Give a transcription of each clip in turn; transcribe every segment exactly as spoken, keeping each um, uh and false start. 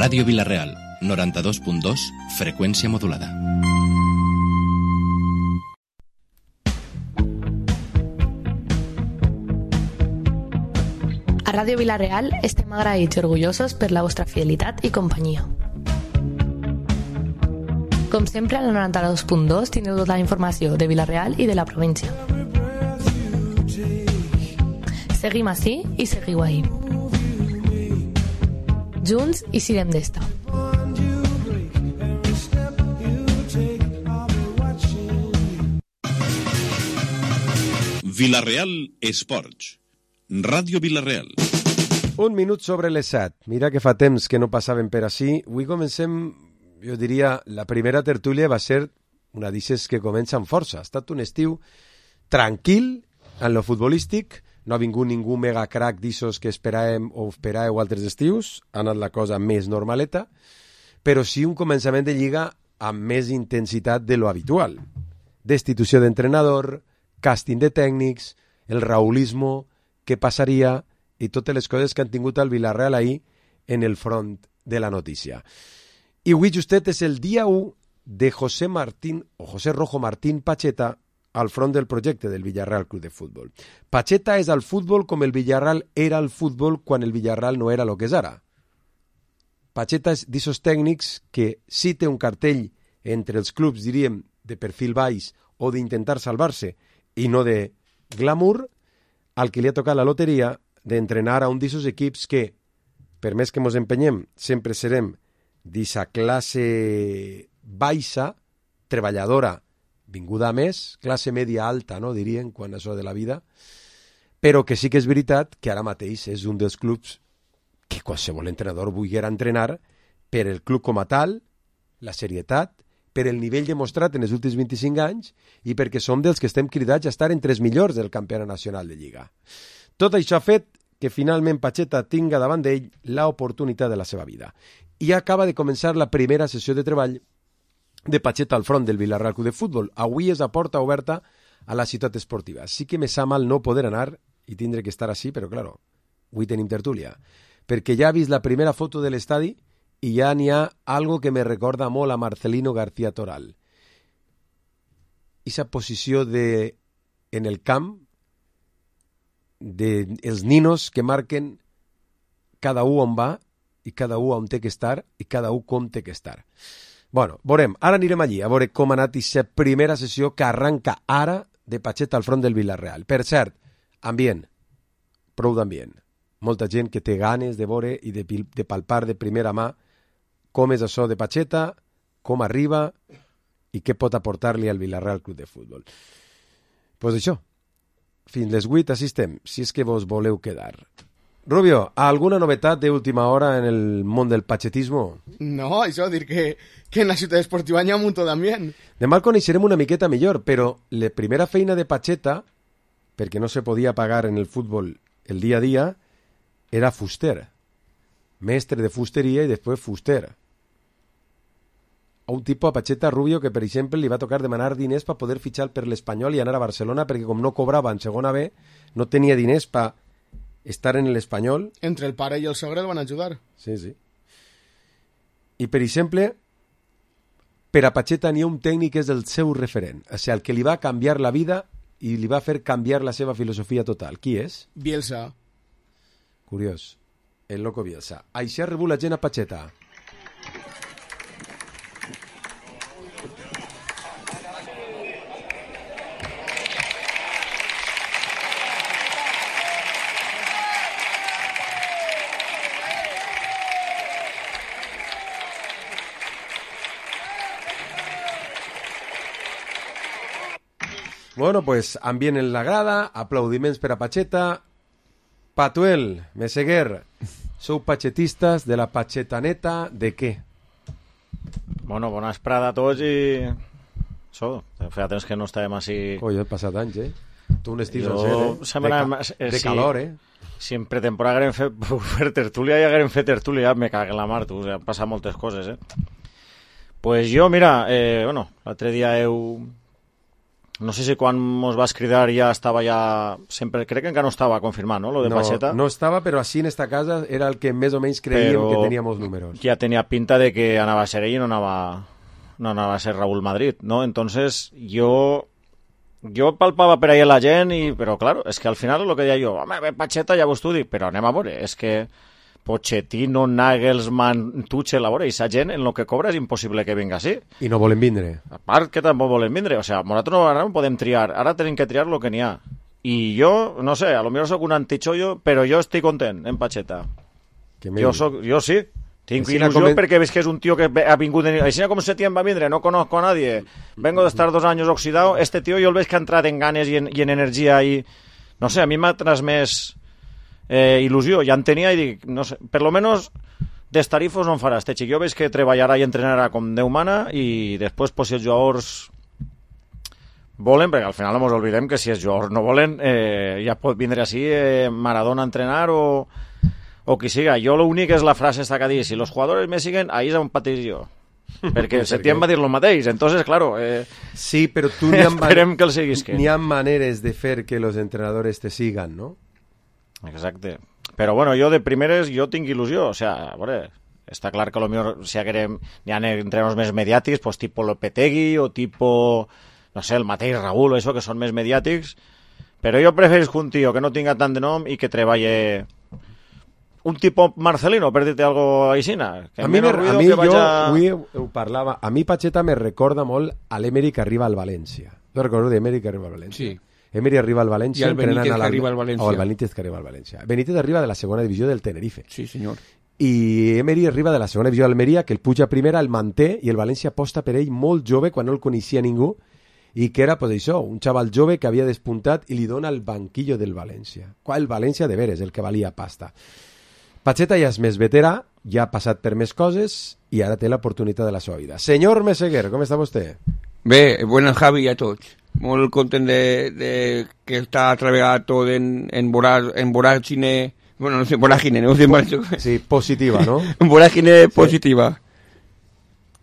Ràdio Vila-real, noranta-dos punt dos, freqüència modulada. A Ràdio Vila-real estem agraïts i orgullosos per la vostra fidelitat i companyia. Com sempre, al noranta-dos punt dos tindreu tota la informació de Vila-real i de la província. Seguim ací i seguiu ahí. Junts i sirem d'esta. Vila-real Esports. Ràdio Vila-real. Un minut sobre les set. Mira que fa temps que no passaven per ací. Avui comencem, jo diria, la primera tertúlia va ser una d'ixes que comença amb força. Ha estat un estiu tranquil en lo futbolístic. No ha vingut ningú mega crack d'ixos que esperàvem o esperàveu altres estius. Ha anat la cosa més normaleta. Però sí un començament de lliga amb més intensitat de lo habitual. Destitució d'entrenador, càsting de tècnics, el raulismo, què passaria i totes les coses que han tingut al Vila-real ahir en el front de la notícia. I avui justet és el dia u de José Martín o José Rojo Martín Pacheta al front del projecte del Villarreal Club de Futbol. Pacheta és al futbol com el Villarreal era al futbol quan el Villarreal no era el que és ara. Pacheta és d'ixos tècnics que sí té un cartell entre els clubs, diríem, de perfil baix o d'intentar salvar-se i no de glamour, al que li ha tocat la loteria d'entrenar a un d'ixos equips que, per més que mos empenyem, sempre serem d'eixa classe baixa, treballadora, vinguda a més, classe media alta, no, dirien, quan això de la vida, però que sí que és veritat que ara mateix és un dels clubs que qualsevol entrenador volguera entrenar per el club com a tal, la serietat, per el nivell demostrat en els últims vint-i-cinc anys i perquè som dels que estem cridats a estar entre els millors del campionat nacional de Lliga. Tot això ha fet que finalment Pacheta tinga davant d'ell l'oportunitat de la seva vida. I acaba de començar la primera sessió de treball de Pacheta al front del Vila-real Club de Futbol. Avui és a porta oberta a la ciutat esportiva. Sí que me sa mal no poder anar i tindré que estar així, però claro, avui tenim tertúlia. Perquè ja ha vist la primera foto de l'estadi i ja n'hi ha algo que me recorda molt a Marcelino García Toral. Esa posició de, en el camp de els ninos que marquen cada un on va i cada un on té que estar i cada un com té que estar. Bueno, veurem. Ara anirem allí a veure com ha anat aquesta primera sessió que arranca ara de Pacheta al front del Vila-real. Per cert, ambient, prou d'ambient. Molta gent que té ganes de veure i de, de palpar de primera mà com és això de Pacheta, com arriba i què pot aportar-li al Vila-real Club de Futbol. Doncs pues això, fins les vuit així estem, si és que vos voleu quedar. Rubio, alguna novetat d'última hora en el món del pachetismo? No, això, dir que, que en la ciutat esportiva hi ha un munt d'ambient. Demà el coneixerem una miqueta millor, però la primera feina de Pacheta, perquè no se podia pagar en el futbol el dia a dia, era fuster. Mestre de fusteria i després fuster. A un tipus a Pacheta Rubio que, per exemple, li va tocar demanar diners per poder fitxar per l'Espanyol i anar a Barcelona perquè com no cobrava en segona B, no tenia diners per estar en l'Espanyol. Entre el pare i el sogre el van ajudar. Sí, sí. I, per exemple, per a Pacheta n'hi ha un tècnic que és el seu referent, o sigui, el que li va canviar la vida i li va fer canviar la seva filosofia total. Qui és? Bielsa. Curiós. El loco Bielsa. Així ha rebut la gent a Pacheta. Bueno, pues ambient en la grada, aplaudiments per a Pacheta. Patuel, Meseguer, sou pachetistes de la pachetaneta de què? Bueno, bona esprada a tots i... Això, feia temps que no estàvem així... Coi, he passat anys, eh? Tu un estiu jo... sencer, eh? Sembla... De, ca... eh, de sí. calor, eh? Si en pretemporada haguem fet fer tertúlia i haguem fet tertúlia, me cague la mar, tu. O sea, han passat moltes coses, eh? Pues jo, mira, eh, bueno, l'altre dia heu... no sé si quan mos vas cridar ja estava ja... Sempre, crec que encara no estava confirmat, no?, lo de no, Pacheta. No estava, però així en esta casa era el que més o menys creiem Però que tenia molts números. Ja tenia pinta de que anava a ser ell i no anava, no anava a ser Raúl Madrid, ¿no? Entonces, yo... Jo palpava per ahí la gent, i, però claro, és que al final lo que deia jo, home, ve Pacheta, ja vos t'ho dic, però anem a veure, és que Pochettino, Nagelsmann, Tuchel, a veure, i sa gent en lo que cobra és impossible que vinga així. I no volen vindre. A part que tampoc volen vindre, o sea, nosaltres no, ara no podem triar, ara tenim que triar lo que n'hi ha. I jo, no sé, a lo millor soc un antichollo, però jo estic content en Pacheta. Jo, soc, jo sí, tinc il·lusió comen... perquè veig que és un tio que ha vingut... En... Així com septiembre va vindre, no conozco a nadie, vengo de estar dos años oxidado, este tío jo el veig que ha entrat en ganes i en, i en energia i... No sé, a mi m'ha transmès eh, il·lusió, ja en tenia i dic, no sé, per lo menos d'estarifos no en farà este xic, jo veig que treballarà i entrenarà com Déu mana i després pues, si els jugadors volen, perquè al final no ens oblidem que si els jugadors no volen eh, ja pot vindre així eh, Maradona a entrenar o... o qui siga. Jo l'únic és la frase esta que dic, si los jugadores me siguen, ahí és on pateix jo. Perquè Setién va dir lo mateix, entonces, claro... Eh, sí, però tu n'hi ha, esperem que el siguis. N'hi ha maneres de fer que los entrenadores te sigan, ¿no? Exacte. Però bueno, jo de primeres, jo tinc il·lusió, o sea, a veure, està clar que a lo millor si querem, n'hi ha entrenadors més mediàtics, pues tipo Lopetegui o tipo, no sé, el mateix Raúl o això, que són més mediàtics, però jo preferisc un tio que no tinga tant de nom i que treballe... un tipo Marcelino, per dir-te algo aixina. A mi, me, a mi que vaya... jo avui ho, ho parlava, a mi Pacheta me recorda molt a l'Emery que arriba al València. Jo recordo d'Emery que arriba al València. Sí. Emery arriba al València. I el Benítez que arriba al València. O el Benítez que arriba al València. Benítez arriba de la segona divisió del Tenerife. Sí, senyor. I Emery arriba de la segona divisió d'Almeria, que el puja primera, el manté, i el València aposta per ell molt jove, quan no el coneixia ningú, i que era, pues això, un xaval jove que havia despuntat i li dona el banquillo del València. Qual el València de veres, el que valia pasta. Pacheta ja és més veterà, ja ha passat per més coses i ara té l'oportunitat de la seva vida. Senyor Meseguer, com està vostè? Bé, buenas Javi a tots. Molt content de, de que està treballat tot en, en, vorar, en voràgine, bueno, no sé, voràgine, no sé mal. Sí, positiva, no? En voràgine positiva.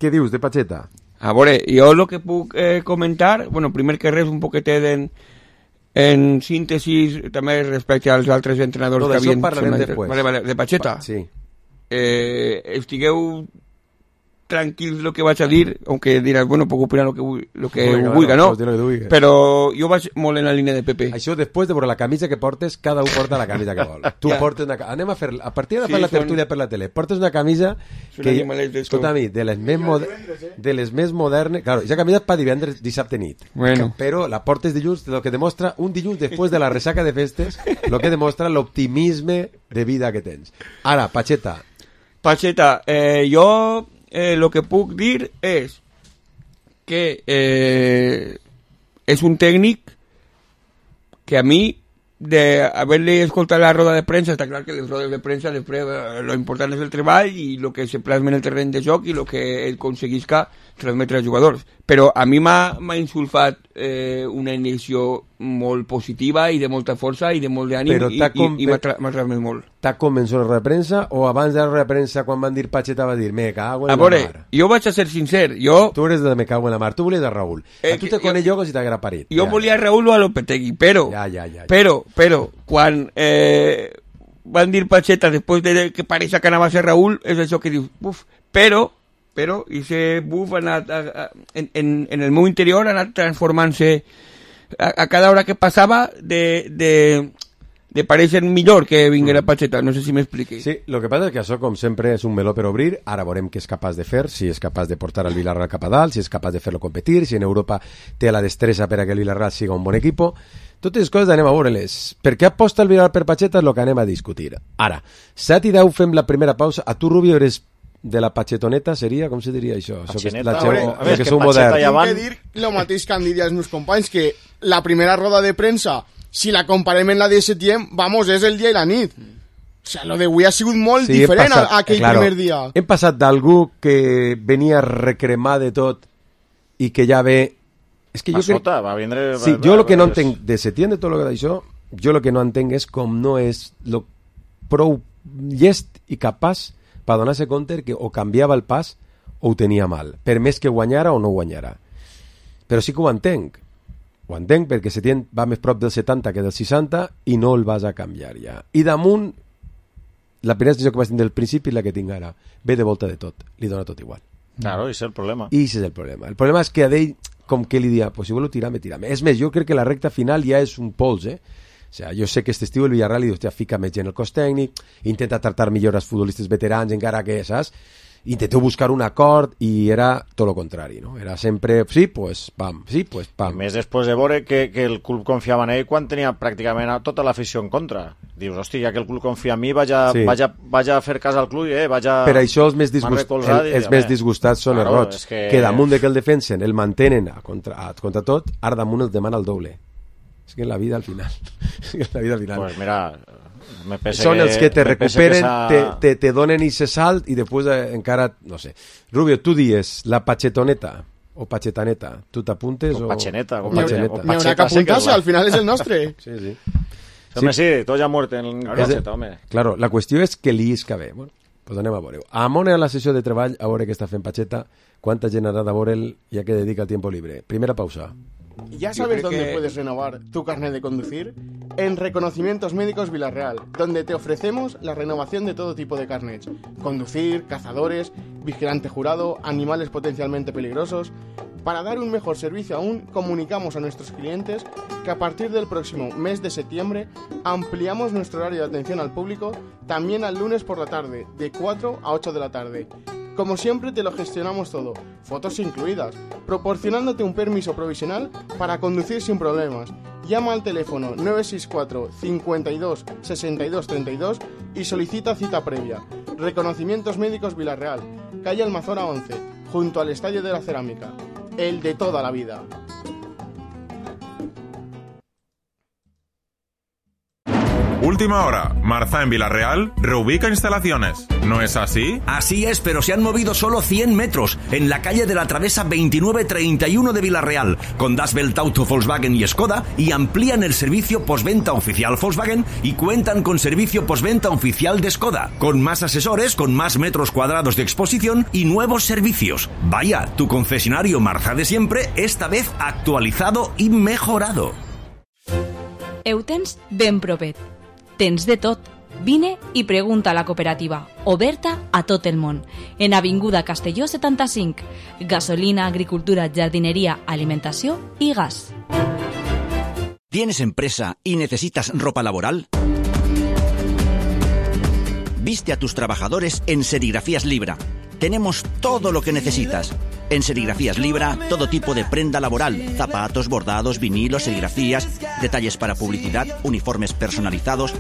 Què dius de Pacheta? A veure, jo el que puc eh, comentar, bueno, primer que res un poquetet en... En síntesis, també respecte als altres entrenadors no, que havien... No, d'això parlarem després. Vale, vale, de Pacheta. Pa, sí. Eh, estigueu tranquils lo que vaig a dir, aunque diràs, bueno, puc opinar lo que, lo que Oiga, vulga, no? no? Però jo vaig molt en la línia de Pepe. Això després de veure la camisa que portes, cada un porta la camisa que vol. Tu ja. portes una... Anem a fer... A partir de sí, fer la tertúlia són... per la tele, portes una camisa que... Escolta, a mi, de les més, mod... de les més modernes... Claro, aquesta camisa és per divendres, dissabte nit. Bueno. Però la portes dilluns, lo que demostra un dilluns després de la resaca de festes, lo que demostra l'optimisme de vida que tens. Ara, Pacheta. Pacheta, eh, jo... Eh, lo que puc dir és que eh, és un tècnic que a mi de haver-li escoltat la roda de premsa, està clar que les rodes de premsa després eh, lo important és el treball i el que se plasma en el terreny de joc i el que ell aconseguisca transmetre als jugadors, però a mi m'ha insulfat eh, una iniciació molt positiva i de molta força i de molt d'ànim i, com... i, i m'ha tra transmès molt. T'ha convençut la roda de premsa o abans de la roda de premsa quan van dir Pacheta va dir me cago en a la veure, mar? Jo vaig a ser sincer, jo... Tu eres de me cago en la mar, tu volies a Raúl. Eh, a tu te jo... conec jo com si t'haguera parit. Jo ja. volia a Raúl o a Lopetegui, però... Ja, ja, ja, ja. Però, però, quan eh, van dir Pacheta després de que pareixia que anava a ser Raúl, és això que dius, buf, però... però ese buf ha anat a, a, en, en, en el meu interior ha anat transformant-se a, a cada hora que passava de, de, de pareixer millor que vinguera Pacheta, no sé si m'expliqui. Sí, lo que passa és que això com sempre és un meló per obrir, ara veurem què és capaç de fer, si és capaç de portar el Villarreal cap a dalt, si és capaç de fer-lo competir, si en Europa té la destressa per a que el Villarreal siga un bon equipo. Totes les coses anem a veure-les. Per què aposta el Villarreal per Pacheta és el que anem a discutir. Ara, set i deu fem la primera pausa. A tu, Rubio, eres de la pachetoneta, seria? Com se diria això? Això que és la xeu, a veure, que sou modern. Tinc que dir el mateix que han dit els meus companys, que la primera roda de premsa, si la comparem en la de setembre, vamos, és el dia i la nit. O sea, lo d'avui ha sigut molt sí, diferent passat, a aquell claro, primer dia. Hem passat d'algú que venia a recremar de tot i que ja ve... És que jo crec... Sota, va vindre... Sí, jo el que no entenc de setembre, de tot el que d'això, jo el que no entenc és com no és lo prou llest i capaç per donar-se compte que o canviava el pas o ho tenia mal, per més que guanyara o no guanyara. Però sí que ho entenc. ho entenc, perquè Setién va més prop del setanta que del seixanta i no el vas a canviar ja. I damunt, la primera decisió que vas tenir del principi és la que tinc ara. Ve de volta de tot, li dona tot igual. Claro, ese es el problema. I ese és el problema. El problema és que a ell, com que li dia, pues si vuelvo tirar, me tira. És més, jo crec que la recta final ja és un pols, eh? O sea, jo sé que este estiu el Villarreal li diu, hòstia, fica més gent el cos tècnic, intenta tractar millor els futbolistes veterans, encara que, saps? Intenteu buscar un acord i era tot el contrari, no? Era sempre, sí, pues pam, sí, pues pam. I més després de veure que, que el club confiava en ell quan tenia pràcticament tota l'afició en contra. Dius, hòstia, ja que el club confia en mi, vaig a, sí. vaig a, vaig a fer cas al club i eh, vaig a... Per això els més, disgust... el, els més disgustats són claro, els rots, que... que damunt de que el defensen, el mantenen a contra, a, contra tot, ara damunt el demana el doble. És que en la vida al final... és que en la vida al final... Pues mira... Me són que, els que te recuperen, que te, te, te donen i se salt i després eh, encara, no sé. Rubio, tu dies la pachetoneta o pachetaneta, tu t'apuntes o... O pacheneta. O pacheneta. N'hi haurà que apuntar-se, al final és el nostre. Sí, sí. Home, sí, tot ja mort en el pacheta, home. Claro, la qüestió és que li isca bé. Bueno, pues anem a veure-ho. Amona a la sessió de treball, a veure què està fent Pacheta, quanta gent haurà de veure'l ja que dedica el tiempo libre. Primera pausa. ¿Ya sabes dónde que... puedes renovar tu carnet de conducir? En Reconocimientos Médicos Villarreal, donde te ofrecemos la renovación de todo tipo de carnets. Conducir, cazadores, vigilante jurado, animales potencialmente peligrosos. Para dar un mejor servicio aún, comunicamos a nuestros clientes que a partir del próximo mes de septiembre ampliamos nuestro horario de atención al público también al lunes por la tarde, de cuatro a ocho de la tarde. Como siempre te lo gestionamos todo, fotos incluidas, proporcionándote un permiso provisional para conducir sin problemas. Llama al teléfono nueve seis cuatro, cincuenta y dos, sesenta y dos, treinta y dos y solicita cita previa. Reconocimientos Médicos Villarreal, calle Almazora once, junto al Estadio de la Cerámica. El de toda la vida. Última hora, Marza en Villarreal reubica instalaciones. ¿No es así? Así es, pero se han movido solo cien metros en la calle de la Travesa veintinueve treinta y uno de Villarreal, con Das Welt Auto Volkswagen y Skoda, y amplían el servicio postventa oficial Volkswagen y cuentan con servicio postventa oficial de Skoda, con más asesores, con más metros cuadrados de exposición y nuevos servicios. Vaya, tu concesionario Marza de siempre, esta vez actualizado y mejorado. Eutens ben propet. Tens de tot. Vine i pregunta a la cooperativa, oberta a tot el món. En Avinguda Castelló setanta-cinc. Gasolina, agricultura, jardinería, alimentació i gas. ¿Tienes empresa y necesitas ropa laboral? Viste a tus trabajadores en Serigrafías Libra. Tenemos todo lo que necesitas. En Serigrafías Libra, todo tipo de prenda laboral, zapatos, bordados, vinilos, serigrafías, detalles para publicidad, uniformes personalizados.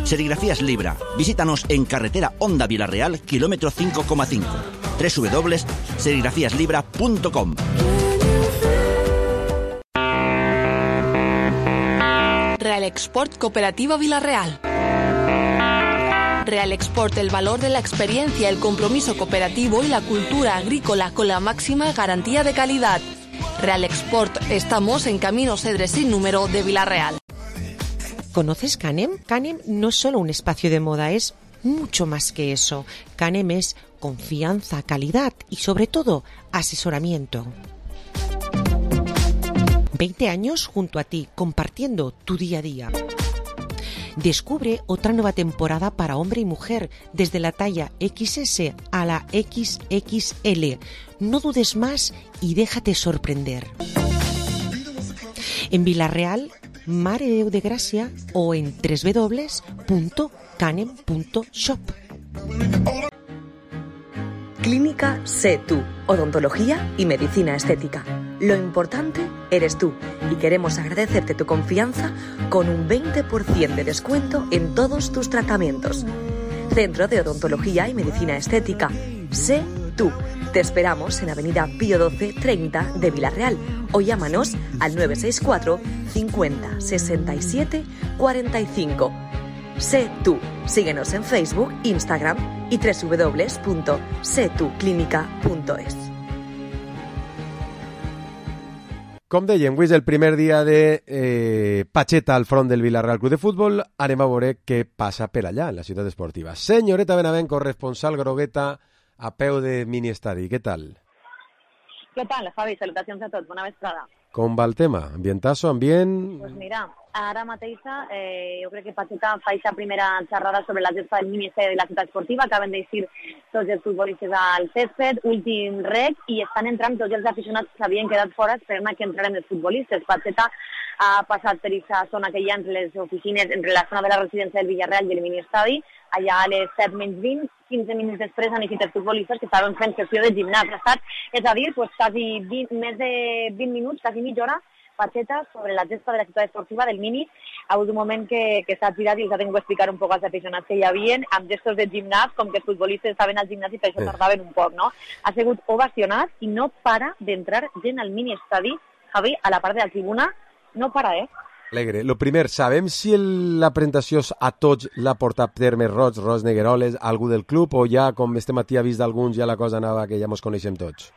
Serigrafías Libra. Visítanos en carretera Honda Villarreal, kilómetro cinco coma cinco. doble u doble u doble u punto serigrafías libra punto com. Real Export Cooperativa Villarreal. Real Export, el valor de la experiencia, el compromiso cooperativo y la cultura agrícola con la máxima garantía de calidad. Real Export, estamos en Camino Cedre sin número de Villarreal. ¿Conoces Canem? Canem no es solo un espacio de moda, es mucho más que eso. Canem es confianza, calidad y sobre todo asesoramiento. veinte años junto a ti, compartiendo tu día a día. Descubre otra nueva temporada para hombre y mujer, desde la talla equis ese a la equis equis ele. No dudes más y déjate sorprender. En Villarreal, Mare Déu de Gràcia o en doble u doble u doble u punto canem punto shop. Clínica Sé Tú, odontología y medicina estética. Lo importante eres tú y queremos agradecerte tu confianza con un veinte por ciento de descuento en todos tus tratamientos. Centro de Odontología y Medicina Estética. Sé Tú. Te esperamos en Avenida Pío doce treinta de Villarreal o llámanos al nueve seis cuatro, cincuenta, sesenta y siete, cuarenta y cinco. Sé Tú. Síguenos en Facebook, Instagram y doble u doble u doble u punto sé tú clínica punto es. Com dèiem, avui és el primer dia de eh, Pacheta al front del Villarreal Club de Futbol. Anem a veure què passa per allà, en la ciutat esportiva. Senyoreta Benavent, corresponsal grogueta a peu de mini estadi. Què tal? Què tal, Javi? Salutacions a tots. Bona vesprada. Com va el tema? Ambientazo, ambient... Pues mira, ara mateixa eh, jo crec que Pacheta fa aquesta primera xerrada sobre la gespa del Ministeri de la Ciutat Esportiva, acaben d'eixir tots els futbolistes al césped, últim rec, i estan entrant tots els aficionats que s'havien quedat fora esperant que entraren els futbolistes. Pacheta ha passat per aquesta zona que hi ha entre les oficines, entre la zona de la residència del Villarreal i el mini-estadi, allà a les set menys vint, quinze minuts després han eixit els futbolistes que estaven fent sessió de gimnàs. Ha estat, és a dir, pues, quasi vint, més de vint minuts, quasi mitja hora, Pacheta sobre la gespa de la ciutat esportiva del Mini. Ha hagut un moment que, que s'ha tirat i els ha tingut que explicar un poc als aficionats que hi havia, amb gestos de gimnàs, com que els futbolistes estaven al gimnàs i per això tardaven un poc, no? Ha sigut ovacionat i no para d'entrar gent al mini-estadi, Javi, a la part de la tribuna, no para, eh? Alegre. Lo primer, sabem si el, la presentació a tots l'ha portat terme Roig, Ros Negueroles, algú del club, o ja, com este matí ha vist d'alguns, ja la cosa anava que ja mos coneixem tots?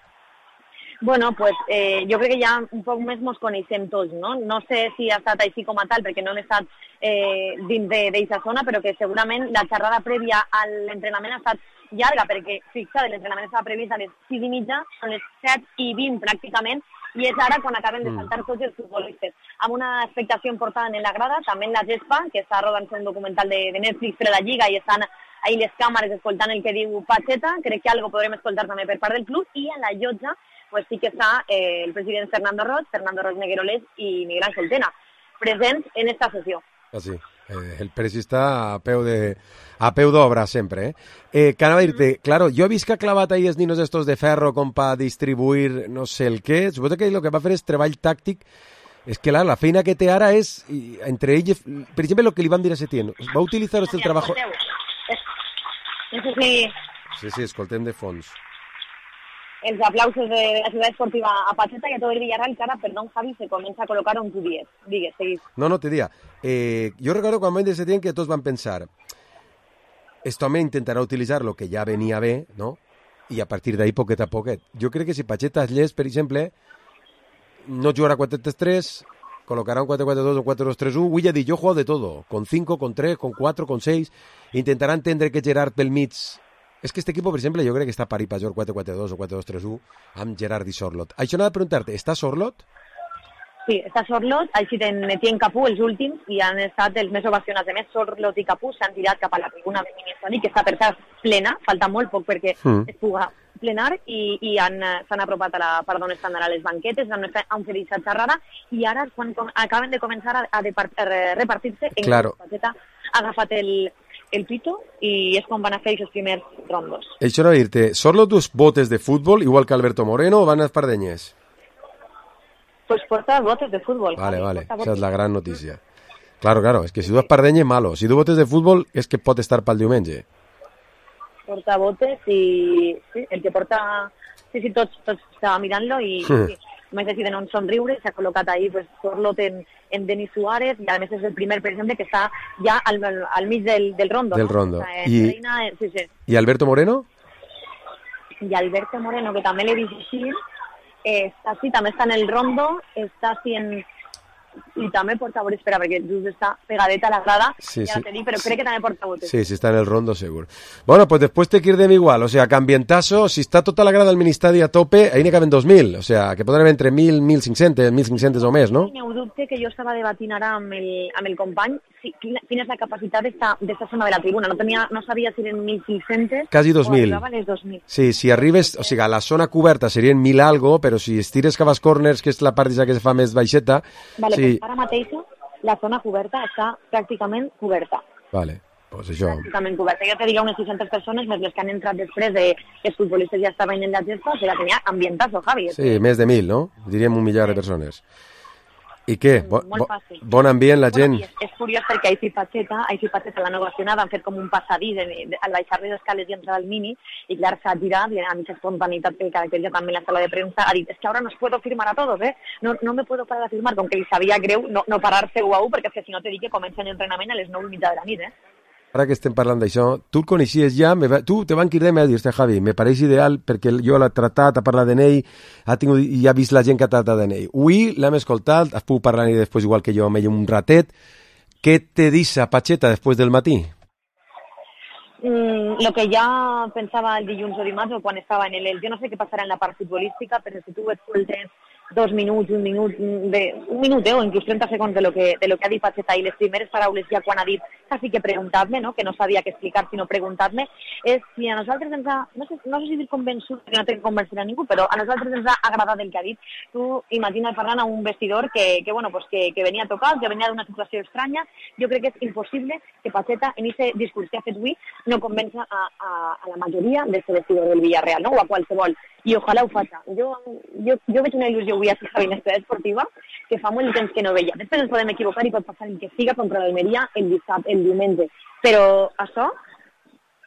Bueno, pues eh, jo crec que ja un poc més mos coneixem tots, no? No sé si ha estat així com a tal, perquè no hem estat eh, dins d'aquesta zona, però que segurament la xerrada prèvia a l'entrenament ha estat llarga, perquè, fixa't, l'entrenament estava previst a les sis i mitja, són les set i vint pràcticament, i és ara quan acaben de saltar tots els futbolistes. Amb una expectació important en la grada, també en la gespa, que està rodant un documental de, de Netflix per la Lliga i estan ahí les càmeres escoltant el que diu Pacheta, crec que algo podrem escoltar també per part del club, i a la llotja pues sí que està eh, el president Fernando Roig, Fernando Roig Negueroles i Miguel Ángel Tena, presents en esta sessió. Ah, sí. Eh, el presi està a peu de a peu d'obra sempre, eh? Eh, que anava a dir-te, claro, jo he vist que ha clavat ahí els ninos estos de ferro com per distribuir no sé el què, suposo que el que va fer és treball tàctic. És que la, la feina que té ara és, i, entre ells, per exemple, el que li van dir a Setién, va utilitzar el treball... No sé si... Sí, sí, escoltem de fons. Els aplausos de la ciutat esportiva a Pacheta y a todo el Villarreal, que ara, perdón, Javi, se comienza a colocar un Q diez. Digues, seguís. No, no, te diga. Eh, jo recordo quan van dir Setién que tots van pensar esto me intentarà utilitzar lo que ja venia bé, ¿no? I a partir d'ahí, poquet a poquet. Jo crec que si Pacheta es llest, per exemple, no jugarà quatre tres tres, colocarà un quatre quatre dos o quatre dos tres uno, vull dir, jo juego de todo, con cinco, con tres, con cuatro, con seis, intentarà entendre que Gerard pel mig... És que este equipo, per exemple, jo crec que està pari per jugar quatre quatre dos o quatre dos tres uno amb Gerard i Sorlot. Això n'ha de preguntar-te, està Sorlot? Sí, està Sorlot, així ten Etienne Capú, els últims, i han estat els més ovacionats. A més, Sorlot i Capú s'han tirat cap a la tribuna de Mini-Estadi, que està per cert plena, falta molt poc perquè mm. es puga plenar, i, i han, s'han apropat a la part on estan ara les banquetes, han, han fet aquesta xerrada, i ara, quan com, acaben de començar a, a, depart, a repartir-se, en claro. Pacheta ha agafat el... el pito i és quan van a fer els primers rondos. Això no dir-te, ¿Sorlot tus botes de fútbol igual que Alberto Moreno o van a espardeñes? Pues porta botes de fútbol. Vale, vale, esa es la gran notícia. Claro, claro, es que si du espardeñes, malo. Si du botes de fútbol, és que pot estar pel diumenge. Porta botes i... Sí, el que porta... Sí, sí, tots, tots estava mirant-lo i... Sí. Més deciden on somriure, s'ha col·locat ahí pues, Sorlot en, en Denis Suárez, i a més és el primer, per exemple, que està ja al, al mig del, del rondo. Del no? rondo. Està, I, Reina, sí, sí. I Alberto Moreno? I Alberto Moreno, que també l'he vist així, eh, està sí, també està en el rondo, està sí en... I també porta botes, espera, perquè just està pegadeta a la grada, sí, ja sí. te dic, però crec que també porta botes. Sí, sí, está en el rondo seguro. Bueno, pues después te quirdem igual, o sea, que ambientazo, si está tota la grada del Ministadi a tope, ahí n'hi caben dos mil, o sea, que poden haver entre mil, mil cinc-cents, mil cinc-cents o més, no? Sí, n'hi dubte que jo estava debatint ara amb el, amb el company, sí, quina, quina és la capacitat d'esta zona de la tribuna, no, tenia, no sabia si eren mil cinc-cents quasi dos mil. o arribaven les dos mil. Sí, si arribes, o sigui, a la zona coberta serien mil algo, però si estires cap als corners, que és la part que se fa més baixeta... Vale, sí. Pues ara mateix la zona coberta està pràcticament coberta. Vale, pues això... Pràcticament coberta. Jo te diria unes sis-centes persones, més les que han entrat després de que els futbolistes ja estaven en la gespa, que la tenia ambientazo, Javi. Sí, més de mil, no? Diríem un millar de persones. I què? Bo, Molt bo, fàcil. bon ambient, la gent... Bueno, és, és curiós perquè Així Pacheta, Així Pacheta l'han ovacionat, han fet com un passadís al baixar les escales i entrar al Mini, i clar, s'ha girat, i a mitja espontaneïtat que caracteritza també la sala de premsa, ha dit, es que ahora no os puedo firmar a todos, eh? No, no me puedo parar a firmar, com que li sabia greu no, no parar-se u a u, perquè és que si no te dic que comencen l'entrenament a les nou i mitja de la nit, eh? Ara que estem parlant d'això, tu el coneixies ja, me va, tu te van cridar i m'ha dit, Javi, me pareix ideal perquè jo l'he tratat, ha parlat d'en ell, ha tingut, i ha vist la gent que ha tratat d'en ell. Avui l'hem escoltat, has pogut parlar i després igual que jo amb ell un ratet. Què te dice Pacheta després del matí? Mm, lo que ja pensava el dilluns o dimarts o quan estava en el... Jo no sé què passarà en la part futbolística, però si tu escoltes dos minuts, un minut, de, un minut eh, o inclús trenta segons de lo, que, de lo que ha dit Pacheta i les primeres paraules ja quan ha dit quasi que preguntar-me, no? Que no sabia què explicar sinó preguntar-me, és si a nosaltres ens ha, no sé, no sé si dir convençut, que no té que convencer a ningú, però a nosaltres ens ha agradat el que ha dit. Tu imagina't parlant a un vestidor que, que, bueno, pues que, que venia a tocar, que venia d'una situació estranya. Jo crec que és impossible que Pacheta en aquest discurs que ha fet avui no convença a, a, a la majoria del vestidor del Villarreal, no? O a qualsevol. I ojalà ho faci. Jo, jo, jo veig una il·lusió avui a la Binestra Esportiva que fa molt temps que no veia. Després ens podem equivocar i pot passar el que siga contra l'Almeria el dissabte, el diumenge. Però això,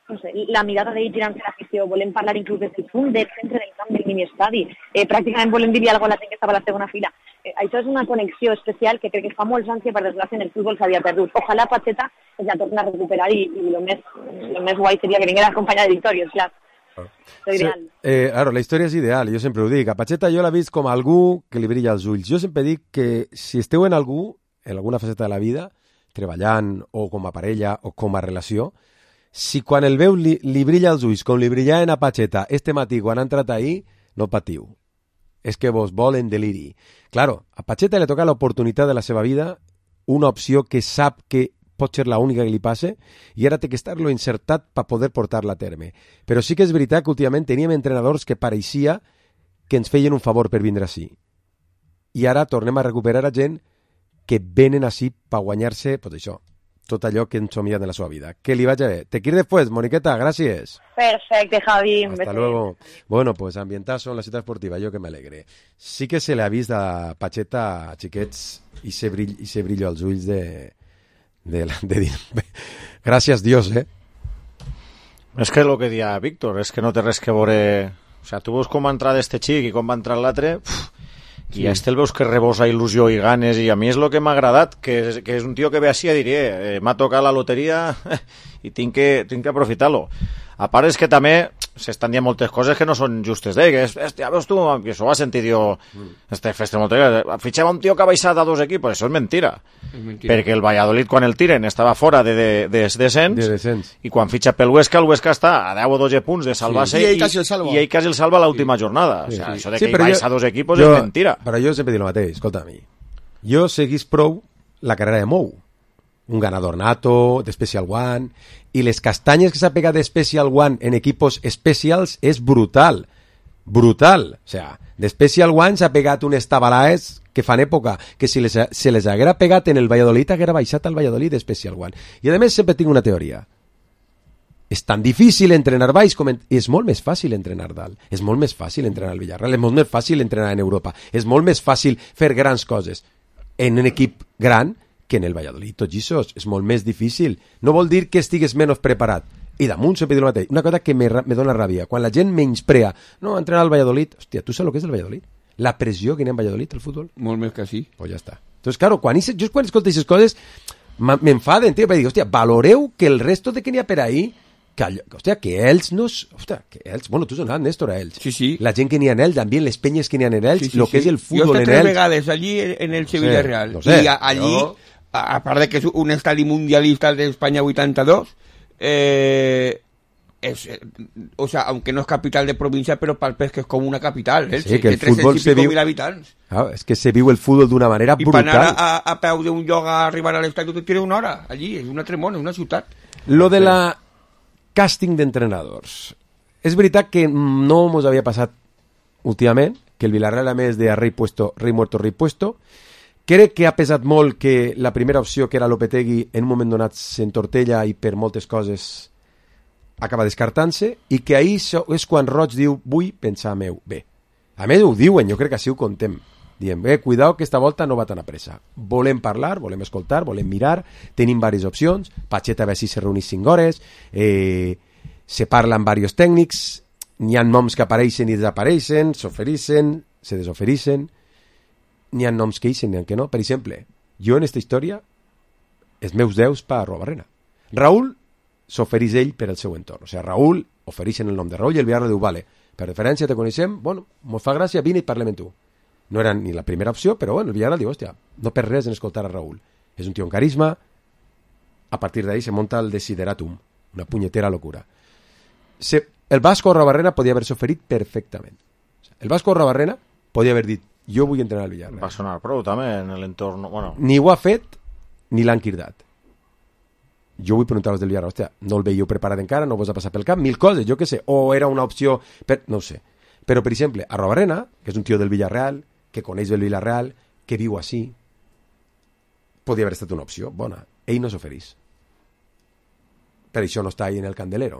no sé, la mirada d'ell tirant-se l'afició, volem parlar inclús del punt del centre del camp del mini-estadi, eh, pràcticament volem dir-li alguna cosa a la gent que estava a la segona fila. Eh, això és una connexió especial que crec que fa molts anys que per desgràcia en el futbol s'havia perdut. Ojalà Pacheta es la torni a recuperar i, i lo, més, lo més guai seria que vinguera acompanyada de victòries, clar. Sí, eh, claro, la història és ideal, jo sempre ho dic. A Pacheta jo l'he vist com algú que li brilla els ulls. Jo sempre dic que si esteu en algú, en alguna faceta de la vida, treballant o com a parella o com a relació, si quan el veu li, li brilla els ulls com li brillaven a Pacheta este matí quan ha entrat ahir, no patiu. És que vos volen deliri. Claro, a Pacheta li toca l'oportunitat de la seva vida, una opció que sap que pot ser l'única que li passe, i ara té que estar-lo insertat per poder portar-la a terme. Però sí que és veritat que últimament teníem entrenadors que pareixia que ens feien un favor per vindre així. I ara tornem a recuperar a gent que venen així per guanyar-se, pues això, tot allò que han somiat en la seva vida. Que li vagi bé. Te quiero después, Moniqueta, gràcies. Perfecte, Javi. Hasta luego. Bueno, pues ambientazo en la ciutat esportiva, jo que m'alegre. Sí que se li ha vist a Pacheta, a xiquets, i se brill, i se brillo als ulls de... De, de dir, gràcies Dios, eh? És que el que dia Víctor, és que no té res que veure... O sea, tu veus com va entrar d'este xic i com va entrar l'altre, i sí. A este el veus que rebosa il·lusió i ganes, i a mi és el que m'ha agradat, que és, que és un tio que ve així a dir, eh, m'ha tocat la loteria i tinc que, tinc que aprofitar-lo. A part és que també s'estan dient moltes coses que no són justes, eh? Que és, hòstia, veus tu, que això ho va sentir, jo, mm. este festa loteria, fitxem un tio que ha baixat a dos equipos, això és mentira. És mentira. Perquè el Valladolid, quan el tiren, estava fora de, de, de, de descens, de descens, i quan fitxa pel Huesca, el Huesca està a deu o dotze punts de salvar-se, sí. i, ell i, i ell quasi el salva a l'última sí. jornada. Sí, o sea, sí. Això de que sí, ell baixa a dos equipos jo, és mentira. Però jo sempre dic el mateix, escolta a mi. Jo seguís prou la carrera de Mou, un ganador nato, de Special One, i les castanyes que s'ha pegat de Special One en equipos especials és brutal, brutal. O sea, de Special One s'ha pegat unes tabalaes que fan època, que si les, se les haguera pegat en el Valladolid, haguera baixat al Valladolid de Special One. I a més sempre tinc una teoria. És tan difícil entrenar baix com... En... És molt més fàcil entrenar dalt. És molt més fàcil entrenar al Villarreal. És molt més fàcil entrenar en Europa. És molt més fàcil fer grans coses en un equip gran que en el Valladolid. Tot això és molt més difícil. No vol dir que estigues menys preparat. I damunt sempre diu el mateix. Una cosa que me, me dona ràbia. Quan la gent menysprea, no, entrenar al Valladolid... Hòstia, tu saps el que és el Valladolid? La pressió que hi ha en Valladolid, el futbol? Molt més que sí. Pues ja està. Entonces, claro, quan, jo quan escolto aquestes coses m'enfaden, tio, perquè dic, hòstia, valoreu que el resto de que n'hi ha per ahí, que, hòstia, que ells no... Hòstia, que ells... Bueno, tu has donat, Néstor, a ells. Sí, sí. La gent que n'hi ha en ells, també les penyes que n'hi ha en ells, sí, sí, lo que sí. és el futbol en ells. Jo he estat tres vegades allí en el Sevilla sí, Real. No sé, I allí... No. A part de que és un estadi mundialista d'Espanya vuitanta-dos, eh, es, eh, o sea, aunque no es capital de provincia, pero palpes que es como una capital, ¿eh? Sí, que el fútbol se viu... habitants. Ah, es que se viu el fútbol d'una manera I brutal. I per anar a, a peu d'un lloc a arribar a l'estadi, tu tires una hora allí, és una tremona, és una ciutat. Lo de la càsting d'entrenadors. És veritat que no mos havia passat últimament, que el Villarreal a més de a rei puesto, rei muerto, rei puesto. Crec que ha pesat molt que la primera opció, que era Lopetegui, en un moment donat s'entortella i per moltes coses acaba descartant-se, i que ahir és quan Roig diu, vull pensar meu bé. A més ho diuen, jo crec que així ho contem. Diem, bé, cuidao que esta volta no va tan a pressa. Volem parlar, volem escoltar, volem mirar, tenim diverses opcions, Pacheta a veure si se reunís cinc hores, eh, se parla amb diversos tècnics, n'hi ha noms que apareixen i desapareixen, s'ofereixen, se desofereixen, n'hi ha noms que ixen, n'hi ha que no. Per exemple, jo en esta història, els meus deus per Arruabarrena. Raúl s'ofereix ell per al seu entorn. O sigui, Raúl ofereixen el nom de Raúl i el Villarreal diu, vale, per referència te coneixem, bueno, mos fa gràcia, vine i parlem amb tu. No era ni la primera opció, però bueno, el Villarreal diu, hòstia, no per res en escoltar a Raúl. És un tio amb carisma, a partir d'ahí se monta el desideratum, una punyetera locura. Se, el Vasco Arruabarrena podia haver-se oferit perfectament. El Vasco Arruabarrena podia haver dit, jo vull entrenar al Villarreal. Va sonar prou també en l'entorn... Bueno. Ni ho ha fet ni l'han cridat. Jo vull preguntar-vos del Villarreal, hòstia, no el veieu preparat encara, no vos ha passat pel cap, mil coses, jo què sé, o era una opció, per... no ho sé. Però, per exemple, a Robarena, que és un tio del Villarreal, que coneix el Villarreal, que viu així, podria haver estat una opció bona. Ell no s'oferís. Per això no està ahí en el candelero.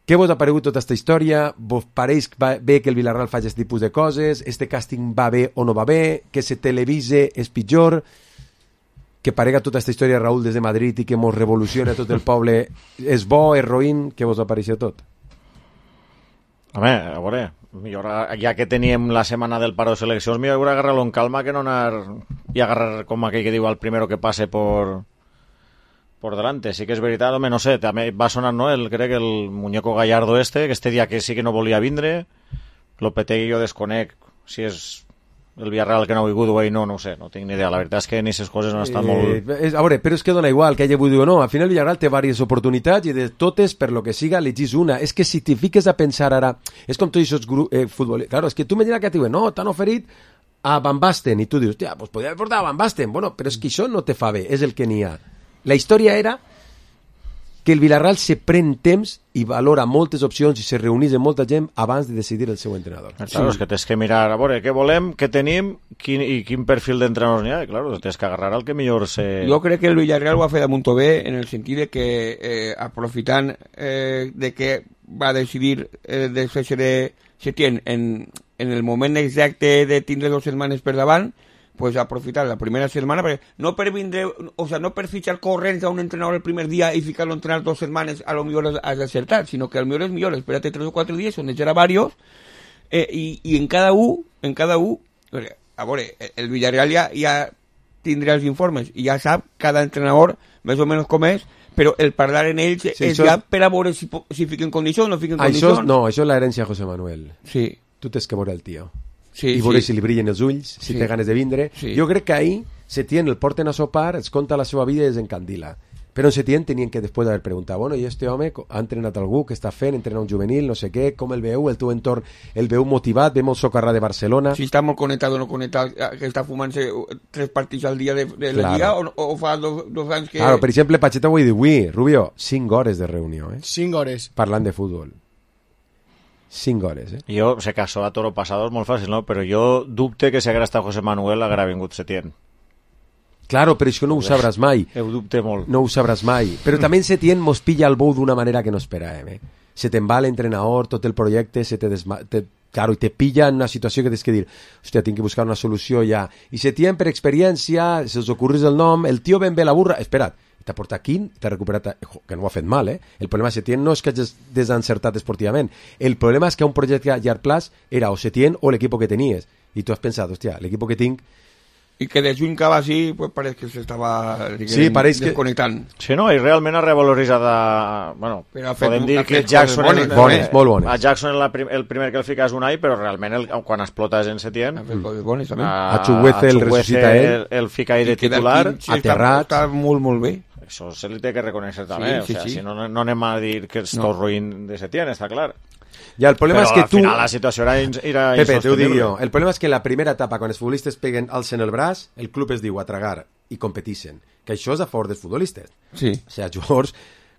Què vos ha paregut tota aquesta història? Vos pareix bé que el Villarreal faci aquest tipus de coses? Este càsting va bé o no va bé? Que se televise és pitjor? Que parega tota aquesta història Raúl des de Madrid i que mos revoluciona tot el poble és bo, és roïn? Què vos ha pareixit tot? Home, a veure, millor, ja que teníem la setmana del paro de seleccions, millor agarrar-lo en calma que no anar i agarrar com aquell que diu al primero que passe por... por delante. Sí que és veritat, home, no sé, també va sonar, no, el, crec que el muñeco Gallardo este, que este dia que sí que no volia vindre, Lopetegui jo desconec si és el Villarreal que no ha vingut o no, no ho sé, no tinc ni idea. La veritat és que en aquestes coses no estan eh, molt... És, a veure, però és que dona igual que hagi vingut o no. Al final el Villarreal té diverses oportunitats i de totes, per lo que siga, elegís una. És que si t'hi fiques a pensar ara... És com tots aquests grups eh, futbolistes... Claro, és que tu m'imagines que et diuen, no, t'han oferit a Van Basten, i tu dius, hòstia, pues podria haver portat a Van Basten. Bueno, però és que això no te fa bé, és el que n'hi ha. La història era que el Villarreal se pren temps i valora moltes opcions i se reunís amb molta gent abans de decidir el seu entrenador. Claro, sí. És que tens que mirar, a veure, què volem, què tenim quin, i quin perfil d'entrenadors n'hi ha. I, claro, tens que agarrar el que millor se... Jo crec que el Villarreal ho ha fet de molt bé en el sentit de que, eh, aprofitant eh, de que va decidir eh, de fer-se de Setién en, en el moment exacte de tindre dues setmanes per davant, pues aprofitar la primera setmana, perquè no per vindre, o sea, no per fitxar corrents a un entrenador el primer dia i ficar-lo a entrenar dos setmanes, a lo millor has d'acertar, sinó que a lo millor és millor, espérate tres o quatre dies, on eixerà varios, eh, i, i en cada un, en cada un, a veure, el Villarreal ja, ja tindrà els informes, i ja sap cada entrenador més o menys com és, però el parlar en ells sí, és ja és... per a veure si, si fiquen condicions o no fiquen condicions. No, això és l'herència de José Manuel. Sí. Tu tens que veure el tio. Sí, i veure sí. si li brillen els ulls, si sí. té ganes de vindre. Sí. Jo crec que ahir Setién el porten a sopar, es conta la seva vida i es encandila. Però en Setién tenien que després d'haver preguntat, bueno, i este home ha entrenat algú, que està fent, entrenar un juvenil, no sé què, com el veu, el teu entorn, el veu motivat, ve molt socarrà de Barcelona. Si està molt connectat o no connectat, que està fumant-se tres partits al dia de, de la claro. Lliga, o, o fa dos, dos anys que... Claro, per exemple, Pacheta ho he dit avui, Rubio, cinc hores de reunió, eh? Cinc hores. Parlant de futbol. Cinc hores, eh? Jo sé que això a toro pasado és molt fàcil, no? Però jo dubte que si haguera estat José Manuel haguera vingut Setién. Claro, però això no ho sabràs mai. Ho dubte molt. No ho sabràs mai. Però també Setién mos pilla el bou d'una manera que no esperàvem, eh? Se te'n va l'entrenador, tot el projecte, se te desma... Te... Claro, i te pilla en una situació que tens que dir, hòstia, tinc que buscar una solució ja. I Setién, per experiència, se us ocorrís el nom, el tio ben bé la burra... Espera't, t'ha portat quin, t'ha recuperat, que no ho ha fet mal, eh? El problema de Setién no és que hagis desencertat esportivament, el problema és que un projecte a llarg plaç era o Setién o l'equip que tenies, i tu has pensat, hòstia, l'equip que tinc... I que de juny cap així, pues pareix que s'estava sí, desconnectant. Que... Sí, no, i realment ha revaloritzat a... Bueno, podem dir que Jackson... Bones, bones, molt bones. A Jackson el, prim, el primer que el fica és un any, però realment el, quan explota és en Setién. Bones, a, a Chuguece el ressuscita ell. El, el fica ahí de titular. Sí, aterrat. Està, està molt, molt bé. Això se li té que reconèixer també. Sí, sí, o sea, sí. Si no, no anem a dir que és no. tot ruïn de Setién, està clar. Ja, el problema però és que al tu... final la situació era, era Pepe, t'ho dic jo. El problema és que la primera etapa, quan els futbolistes peguen alcen el braç, el club es diu a tragar i competixen. Que això és a favor dels futbolistes. Sí. O sigui, els jugadors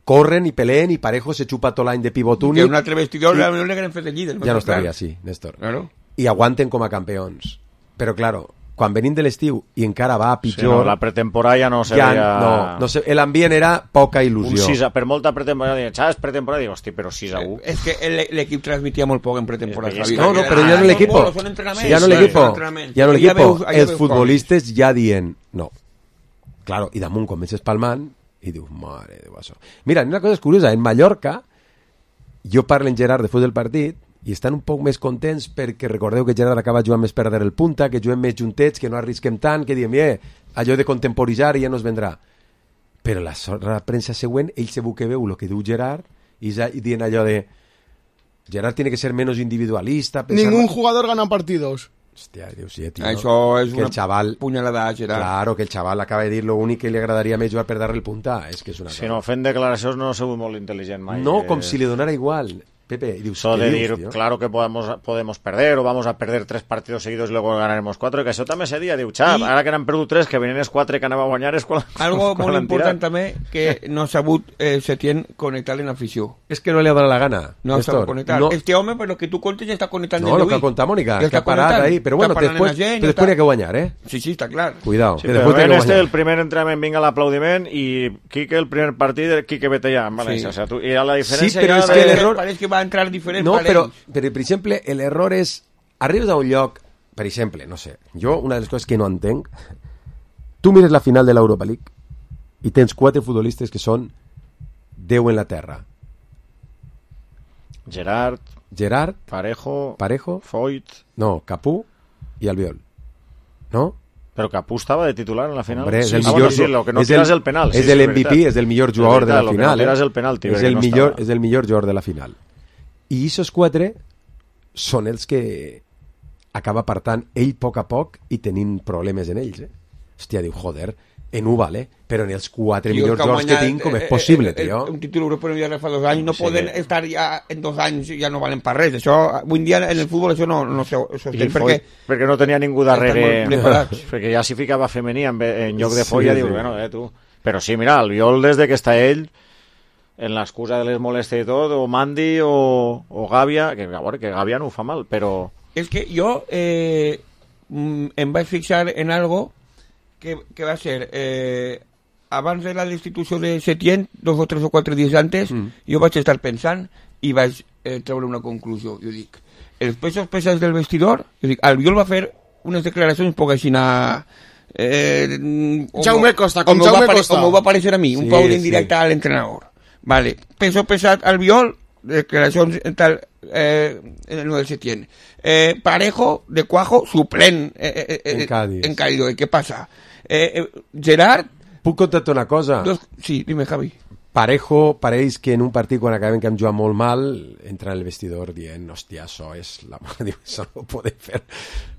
corren i peleen i Parejo se xupa tot l'any de pivot únic. Que un altre vestidor i... no li hagueren fet el líder. Ja no estaria així, Néstor. Claro. I aguanten com a campions. Però, claro, quan venim de l'estiu i encara va a pitjor... Sí, no, la pretemporada ja no seria... Ja, no, no sé, l'ambient era poca il·lusió. Un sis a, per molta pretemporada, diuen, ¿sabes? Pretemporada, digo, hosti, però sis a u. És que l'equip transmitia molt poc en pretemporada. Es que no, no, però ja no l'equip. Sí, ja no l'equip. Ja no l'equip. Els futbolistes ja dient, no. Claro, i damunt comences palmant i dius, mare de això. Mira, una cosa és curiosa, en Mallorca, jo parlo en Gerard després del partit, i estan un poc més contents perquè recordeu que Gerard acaba jugant més per darrere el punta, que juguem més juntets, que no arrisquem tant, que diem, eh, allò de contemporitzar ja no es vendrà. Però la, la premsa següent, ell segur que veu el que diu Gerard i, i dient allò de Gerard tiene que ser menos individualista. Ningún jugador gana partidos. Hòstia, Déu sí, tio. Això és que una chaval, punyalada, Gerard. Claro, que el xaval acaba de dir lo únic que li agradaria més jugar per darrere el punta. És que és una si no, fent declaracions no ha sigut molt intel·ligent mai. No, que... com si li donara igual. Pepe, y dius, eso de dius, dir, tío? claro que podemos, podemos perder o vamos a perder tres partidos seguidos y luego ganaremos cuatro, que això també se dia, diu, xap, I... ara que n'han perdut tres, que venien els quatre que anava a guanyar és quan... Algo molt important també, que no ha sabut eh, Setién connectar en afició. És que no li ha donat la gana. No ha sabut connectar. No. Este home, per lo que tu contes, ja està connectant no, de lo que conta Mònica, ja que ha parat ahí. Però bueno, després, gent, després està... n'hi ha que guanyar, eh? Sí, sí, està clar. Cuidao. Sí, però ben este, el primer entrenament vinga l'aplaudiment i Quique, el primer partit, Quique vete ja, en València. Sí. O sea, tu, i a la diferència... Sí, però és que de... l'error... Pareix que va entrar diferent. No, però, però, per exemple, l'error és... Arribes a un lloc, per exemple, no sé, jo, una de les coses que no entenc, tu mires la final de l'Europa League i tens quatre futbolistes que són Déu en la terra. Gerard, Gerard, Parejo, Parejo, Foyt... No, Capú i Albiol. No? Però Capú estava de titular en la final. Hombre, és el sí, millor, sí, lo que no és tiras el, el penal. És sí, el sí, M V P, és el millor jugador de la lo final. Que no tiras eh? el penalti, és, el no millor, estava. és el millor jugador de la final. I aquests quatre són els que acaba apartant ell a poc a poc i tenint problemes en ells. Eh? Hòstia, diu, joder, en U vale, però en els quatre Tío, millors jugadors que tinc, com és possible, eh, eh, tio? Un títol europeu ja fa dos anys, no sí. poden estar ja en dos anys, ja no valen per res. Això, avui en dia en el futbol això no, no se sostén perquè... perquè no tenia ningú darrere, perquè ja s'hi ficava femení en, en lloc de folla, sí, diu, sí. Bueno, eh, tu... Però sí, mira, el Viol des de que està ell, en l'excusa de les molèsties i tot, o Mandi o, o Gàbia, que, a veure, que Gàbia no ho fa mal, però... És que jo eh, em vaig fixar en algo que, que va ser... Eh, abans de la destitució de Setién, dos o tres o quatre dies antes, mm. jo vaig estar pensant i vaig eh, treure una conclusió. Jo dic, els pesos pesats del vestidor, jo dic, Albiol va fer unes declaracions poc així anar... Eh, Jaume Costa, com Jaume Costa. Com va aparèixer a mi, sí, un pau d'indirecte sí. a l'entrenador. Vale, peso pesat Albiol, declaracions tal, eh, en el Setién. Eh, Parejo, de Cuajo, suplent eh, eh, eh, en Cádiz. En Cádiz. Què passa? Eh, eh, Gerard... Puc contar-te una cosa? Dos... Sí, dime, Javi. Parejo pareix que en un partit quan acabem que hem jugat molt mal entra en el vestidor dient hòstia, això és la... Diu, això no ho podem fer.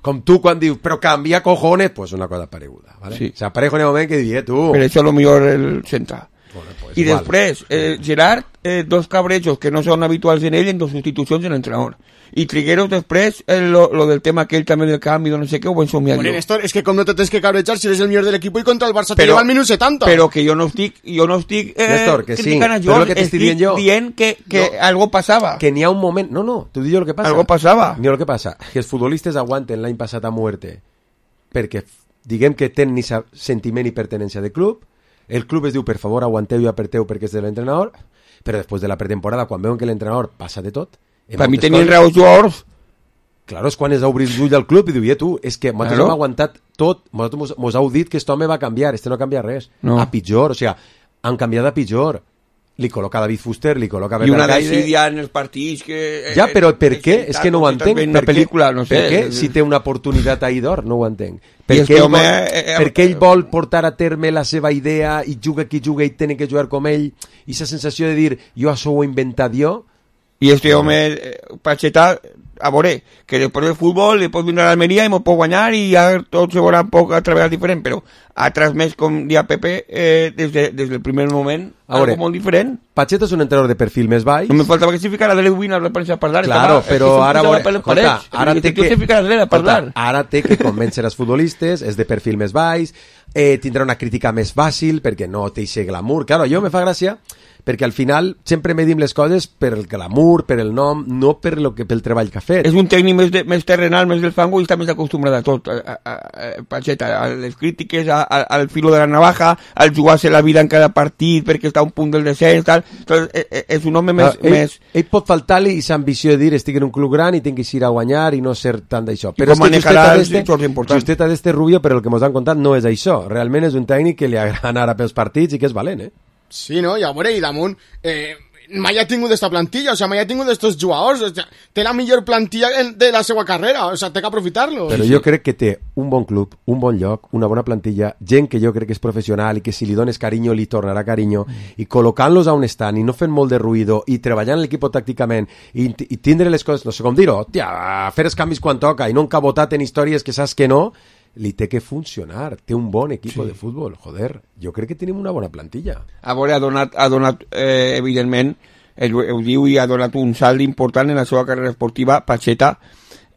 Com tu quan dius, però canvia cojones, pues una cosa pareguda, ¿vale? Sí. O sea, Parejo en el moment que diria tu... Per això lo millor el centre. Bueno, pues I igual. després, eh, Gerard, eh, dos cabrejos que no són habituals en ell en dos substitucions en l'entrenador. I Trigueros després, eh, lo, lo del tema aquell també del canvi, no sé què, ho vaig somiar bueno, jo. Néstor, és que com no te tens que cabrejar si eres el millor de l'equip i contra el Barça te lleva al minut setanta. Però que jo no estic, jo no estic eh, Néstor, que criticant sí, a Joan, que estic dient, jo, dient que, que no, algo passava. Que n'hi ha un moment... No, no, t'ho dic jo el que passa. Algo passava. N'hi ha el que passa. Que els futbolistes aguanten l'any passat a muerte perquè diguem que tenen ni sentiment i pertenència de club. El club es diu, per favor, aguanteu i apreteu perquè és de l'entrenador, però després de la pretemporada, quan veuen que l'entrenador passa de tot... Per mi tenien raó els jugadors. Claro, és quan és obrir l'ull al club i diu, tu, és que nosaltres claro. hem aguantat tot, nosaltres mos heu dit que aquest home va canviar, este no canvia res, no. a pitjor, o sigui, han canviat a pitjor. Li col·loca David Fuster, li col·loca i una decidia en els partits que... Ja, però per què? És que no ho entenc. Per pel·lícula, no sé. Per què? Si té una oportunitat ahí d'or, no ho entenc. Per què home... vol, ell vol portar a terme la seva idea i juga qui juga i tenen que jugar com ell, i aquesta sensació de dir, jo això ho he inventat jo... I este home, Pacheta, a veure, que després del futbol, després vindrà a l'Almeria i m'ho pot guanyar i ja tot se veurà un poc a treballar diferent, però ha transmès, com dia Pepe, eh, des, de, des del primer moment, veure, algo molt diferent. Pacheta és un entrenador de perfil més baix. No me faltava que s'hi ficara a l'Elwin a la premsa a parlar. Claro, estava, però ara... Escolta, ara té que, escolta, ara té que convèncer els futbolistes, és de perfil més baix, eh, tindrà una crítica més fàcil, perquè no té aquest glamour. Claro, jo me fa gràcia perquè al final sempre medim les coses per el glamour, per el nom, no per lo que pel treball que ha fet. És un tècnic més, de, més terrenal, més del fango i està més acostumbrat a tot, a, a, a, Pacheta, a les crítiques, a, a, al filo de la navaja, al jugar-se la vida en cada partit perquè està a un punt del descens, tal. Entonces, és un home més... Ah, ell, més... ell pot faltar-li aquesta ambició de dir estic en un club gran i tinc que ir a guanyar i no ser tant d'això. Però és que justeta d'este Rubio, per el que mos han contat, no és això. Realment és un tècnic que li agrada anar a pels partits i que és valent, eh? Sí, no? I a veure, i damunt, eh, mai ha tingut d'esta plantilla, o sea, mai ha tingut d'estos jugadors, o sea, té la millor plantilla de la seva carrera, o sea, té que aprofitar-lo. Però jo crec que té un bon club, un bon lloc, una bona plantilla, gent que jo crec que és professional i que si li dones carinyo li tornarà carinyo, i col·locant-los a on estan i no fent molt de ruïdo i treballant l'equip tàcticament i, i tindre les coses, no sé com dir-ho, tia, fer els canvis quan toca i no encabotat en històries que saps que no, li té que funcionar, té un bon equip sí. de futbol, joder, jo crec que tenim una bona plantilla. A veure, ha donat, ha donat eh, evidentment, ho diu i ha donat un salt important en la seva carrera esportiva, Pacheta,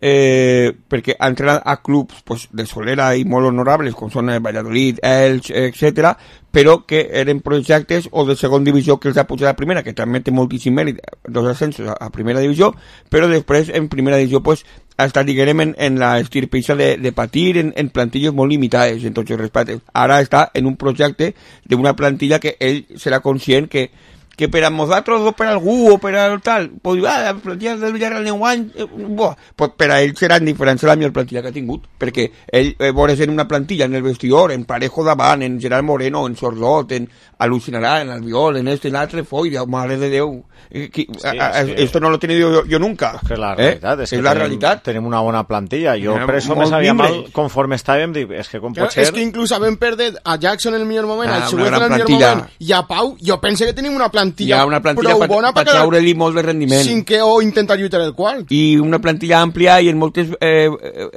eh, perquè ha entrenat a clubs pues, de solera i molt honorables, com són Valladolid, Elx, etcètera, però que eren projectes o de segon divisió que els ha pujat a primera, que també té moltíssim mèrit, dos ascensos a primera divisió, però després en primera divisió pues, ha estat, diguem, en, en la estirpeixa de, de patir en, en plantilles molt limitades en tots els respectes. Ara està en un projecte d'una plantilla que ell serà conscient que que per a nosaltres o per a algú o per a tal, pues, ah, la plantilla del Villarreal en guany, eh, bo, pues per a ell serà indiferent la millor plantilla que ha tingut, perquè ell eh, veuràs en una plantilla, en el vestidor, en Parejo davant, en Gerard Moreno, en Sordot, en Alucinarà, en Albiol, en este, en l'altre, foi, Déu, mare de Déu, eh, qui, sí, a, a, sí. Esto no lo he tenido yo, yo nunca. Es que la realitat, eh? és, és que la tenim, realitat. Tenim una bona plantilla, jo Tenim per això me sabia mal conforme estàvem, dic, és que com pot ser... És que inclús havent perdut a Jackson en el millor moment, ah, al Xuguez en el millor moment, i a Pau, jo pense que tenim una plantilla, una plantilla prou bona per treure-li molt de rendiment. Cinquè o intentar lluitar el quart. I una plantilla àmplia i en moltes eh,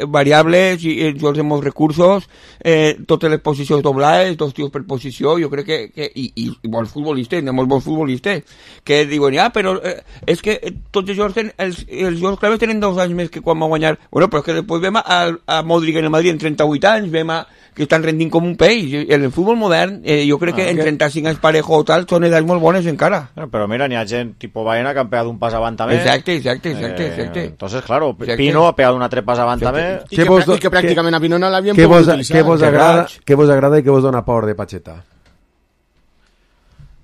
variables i eh, jocs de molts recursos, eh, totes les posicions doblades, dos tios per posició, jo crec que... que i, i, i bons futbolistes, molts bons futbolistes, que diuen, ah, però eh, és que tots els jocs, ten, els, els jocs claves tenen dos anys més que quan va guanyar. Bueno, però és que després vam a, a Modric en el Madrid en trenta-vuit anys, vam a que estan rendint com un peix. En el futbol modern, eh, jo crec ah, que en que... trenta-cinc anys Parejo o tal, són edats molt bones encara. Bueno, però mira, n'hi ha gent, tipo Baena, que han pegat un pas avant també. Exacte, exacte, exacte. Eh, exacte. Entonces, claro, exacte. Pino ha pegat un altre pas avant també. I que, vos, i que pràcticament que, a Pino no l'havien pogut vos, utilitzar. Què vos, agrada, què vos agrada i què vos dona por de Pacheta?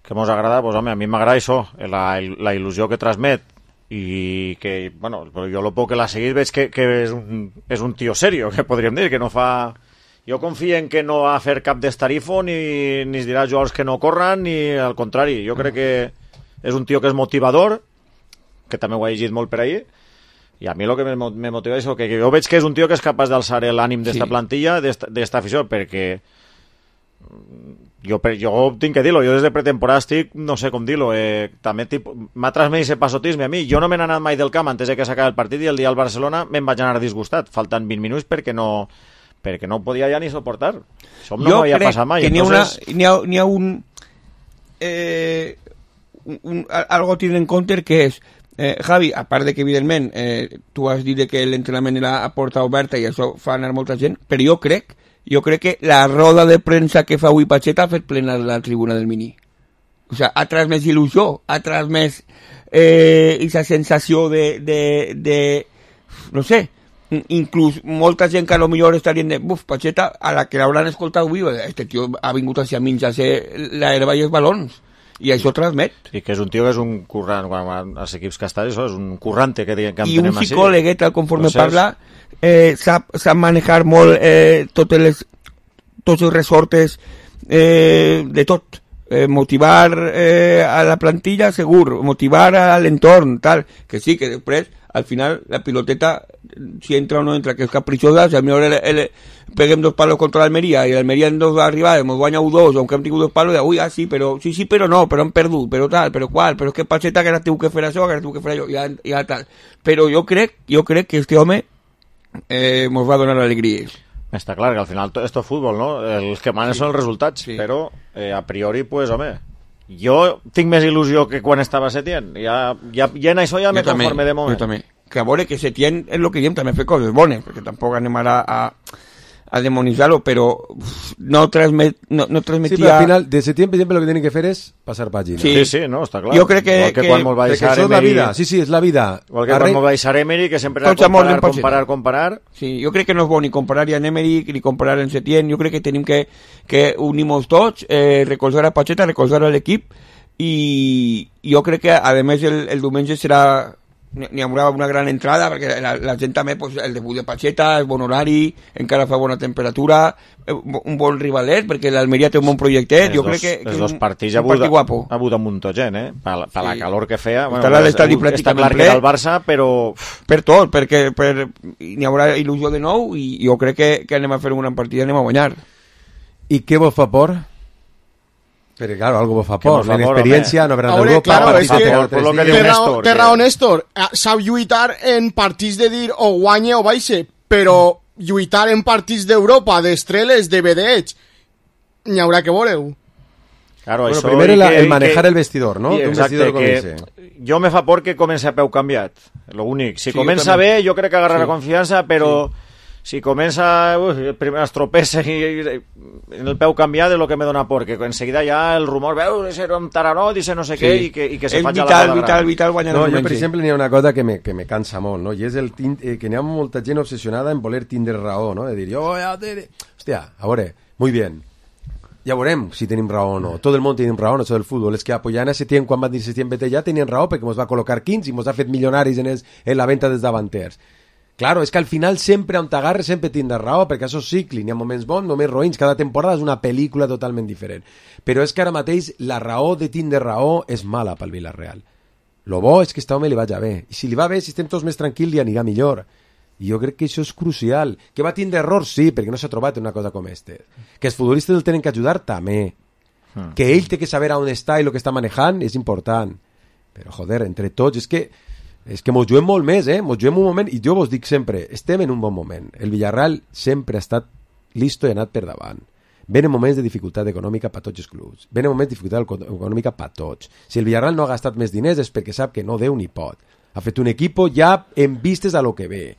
Què mos agrada? Pues, home, a mi m'agrada això, la, la il·lusió que transmet i que, bueno, jo lo poc que l'ha seguit veig que, que és, un, és un tio serio, que podríem dir, que no fa... Jo confio en que no va a fer cap destarifo ni, ni es dirà jugadors que no corran ni al contrari, jo crec que és un tio que és motivador, que també ho ha llegit molt per ahir, i a mi el que me motiva és que, que jo veig que és un tio que és capaç d'alçar l'ànim d'esta sí. plantilla, d'esta afició, perquè jo, jo tinc que dir-lo, jo des de pretemporada estic, no sé com dir-lo, eh, també m'ha transmès ese pasotisme a mi, jo no me n'he anat mai del camp antes de que s'acabi el partit i el dia al Barcelona me'n vaig anar disgustat, faltant vint minuts perquè no... perquè no ho podia ja ni suportar. Això no m'havia passat mai. Jo Entonces... crec que n'hi ha, ha, ha un, eh, un, un... algo a tenir en compte que és, eh, Javi, a part de que evidentment eh, tu has dit que l'entrenament era a porta oberta i això fa anar molta gent, però jo crec jo crec que la roda de premsa que fa avui Pacheta ha fet plena la tribuna del Mini. O sea, ha transmès il·lusió, ha transmès eh, aquesta sensació de, de, de no sé, inclús molta gent que a lo millor estarien de buf, Pacheta, a la que l'hauran escoltat avui, este tio ha vingut hacia menjar-se l'herba i els balons i això transmet. I que és un tio que és un currant, quan als equips que està, això és un currante que, que i un psicòleg, tal conforme Entonces... parla, eh, sap, sap manejar molt eh, totes les, tots els resortes eh, de tot. Eh, motivar eh, a la plantilla, segur, motivar a l'entorn, tal, que sí, que després al final la piloteta si entra o no entra, que és caprichosa, si a mi el, el, peguem dos palos contra l'Almeria i l'Almeria en dos arribades ens guanya u dos, aunque hem tingut dos palos, de, ui, ah, sí, però, sí, sí, però no, però hem perdut, però tal, però qual, però és que Pacheta que ara tinc que fer això, que ara tinc que fer allò, ja, ja tal. Però jo crec, jo crec que este home eh, mos va donar alegries. Està clar que al final esto és futbol, no? Els que manen sí. són els resultats, sí. però eh, a priori, pues, home, jo tinc més il·lusió que quan estava Setién. Ja, ja, ja en això ja me conforme de moment. Jo també. Que a veure que Setién és el que diem, també fer coses bones, perquè tampoc anem ara a, a demonitzar-lo, però no, transmet, no, no transmetia... Sí, però al final, de Setién, per exemple, lo que tienen que fer és passar pàgina. Sí, sí, sí, no, està clar. Jo crec que... Igual que, que quan mos va deixar Emery... la vida, sí, sí, és la vida. Igual que Arre... quan mos va deixar Emery, que sempre era comparar, comparar, comparar... Sí, jo crec que no és bo ni comparar en Emery ni comparar en Setién, jo crec que tenim que, que unir-nos tots, eh, recolzar a Pacheta, recolzar a l'equip, i jo crec que, a més, el, el diumenge serà... n'hi haurà una gran entrada perquè la, la gent també, pues, el debut de Pacheta és bon horari, encara fa bona temperatura, un bon rivalet perquè l'Almeria té un bon projectet, jo dos, crec que, que els dos partits ha hagut un munt de gent, eh? Per, per sí. la calor que feia, bueno, l'estadi està clar que era el Barça, però per tot, perquè per, n'hi haurà il·lusió de nou i jo crec que, que anem a fer una gran partida, anem a guanyar. I què vos fa por? Pero claro, algo vos fa por, la experiencia, no verán Ahora, Europa, claro, es que, por, por lo que té Néstor, té raó Néstor, sap lluitar en partits de dir o guanye o baixe, però lluitar en partits d'Europa, d'estreles, de vedeig, n'hi haurà que veure-ho. Claro, bueno, això primer el, que, el manejar que, el vestidor, no? Exacte, vestidor que jo me fa por que comença a peu canviat, lo únic. Si sí, comença jo bé, jo crec que agarrarà sí. confiança, però sí. si comença, ui, primer es tropessa i, i en el peu canviat és el que me dona por, que enseguida ja el rumor, veu, ese era un taranot, ese no sé sí. què, i que, i que se faci a la vital, vital, vital, guanyar no, jo, per exemple, n'hi ha una cosa que me, que me cansa molt, no? I és el tint, eh, que n'hi ha molta gent obsessionada en voler tindre raó, no? De dir, jo, ja, te... hòstia, a veure, muy bien, ja veurem si tenim raó o no. Tot el món tenim raó en això del futbol. És que apoyant a Setién, quan van dir Setién vete ja, tenien raó perquè ens va col·locar quinze i ens ha fet milionaris en, els, en la venda dels davanters. Claro, és que al final sempre on t'agarres sempre tindràs raó, perquè això és cicle, n'hi ha moments bons, moments roïns, cada temporada és una pel·lícula totalment diferent. Però és que ara mateix la raó de tindre raó és mala pel Villarreal. Lo bo és que aquest home li vaja bé. I si li va bé, si estem tots més tranquils, li anirà millor. I jo crec que això és crucial. Que va tindre errors, sí, perquè no s'ha trobat una cosa com aquesta. Que els futbolistes el tenen que ajudar, també. Hmm. Que ell té que saber on està i el que està manejant és important. Però, joder, entre tots, és que és que mos juguem molt més, eh? Mos juguem un moment, i jo vos dic sempre, estem en un bon moment. El Villarreal sempre ha estat listo i ha anat per davant. Venen moments de dificultat econòmica per tots els clubs. Venen moments de dificultat econòmica per tots. Si el Villarreal no ha gastat més diners és perquè sap que no deu ni pot. Ha fet un equip ja en vistes a lo que ve.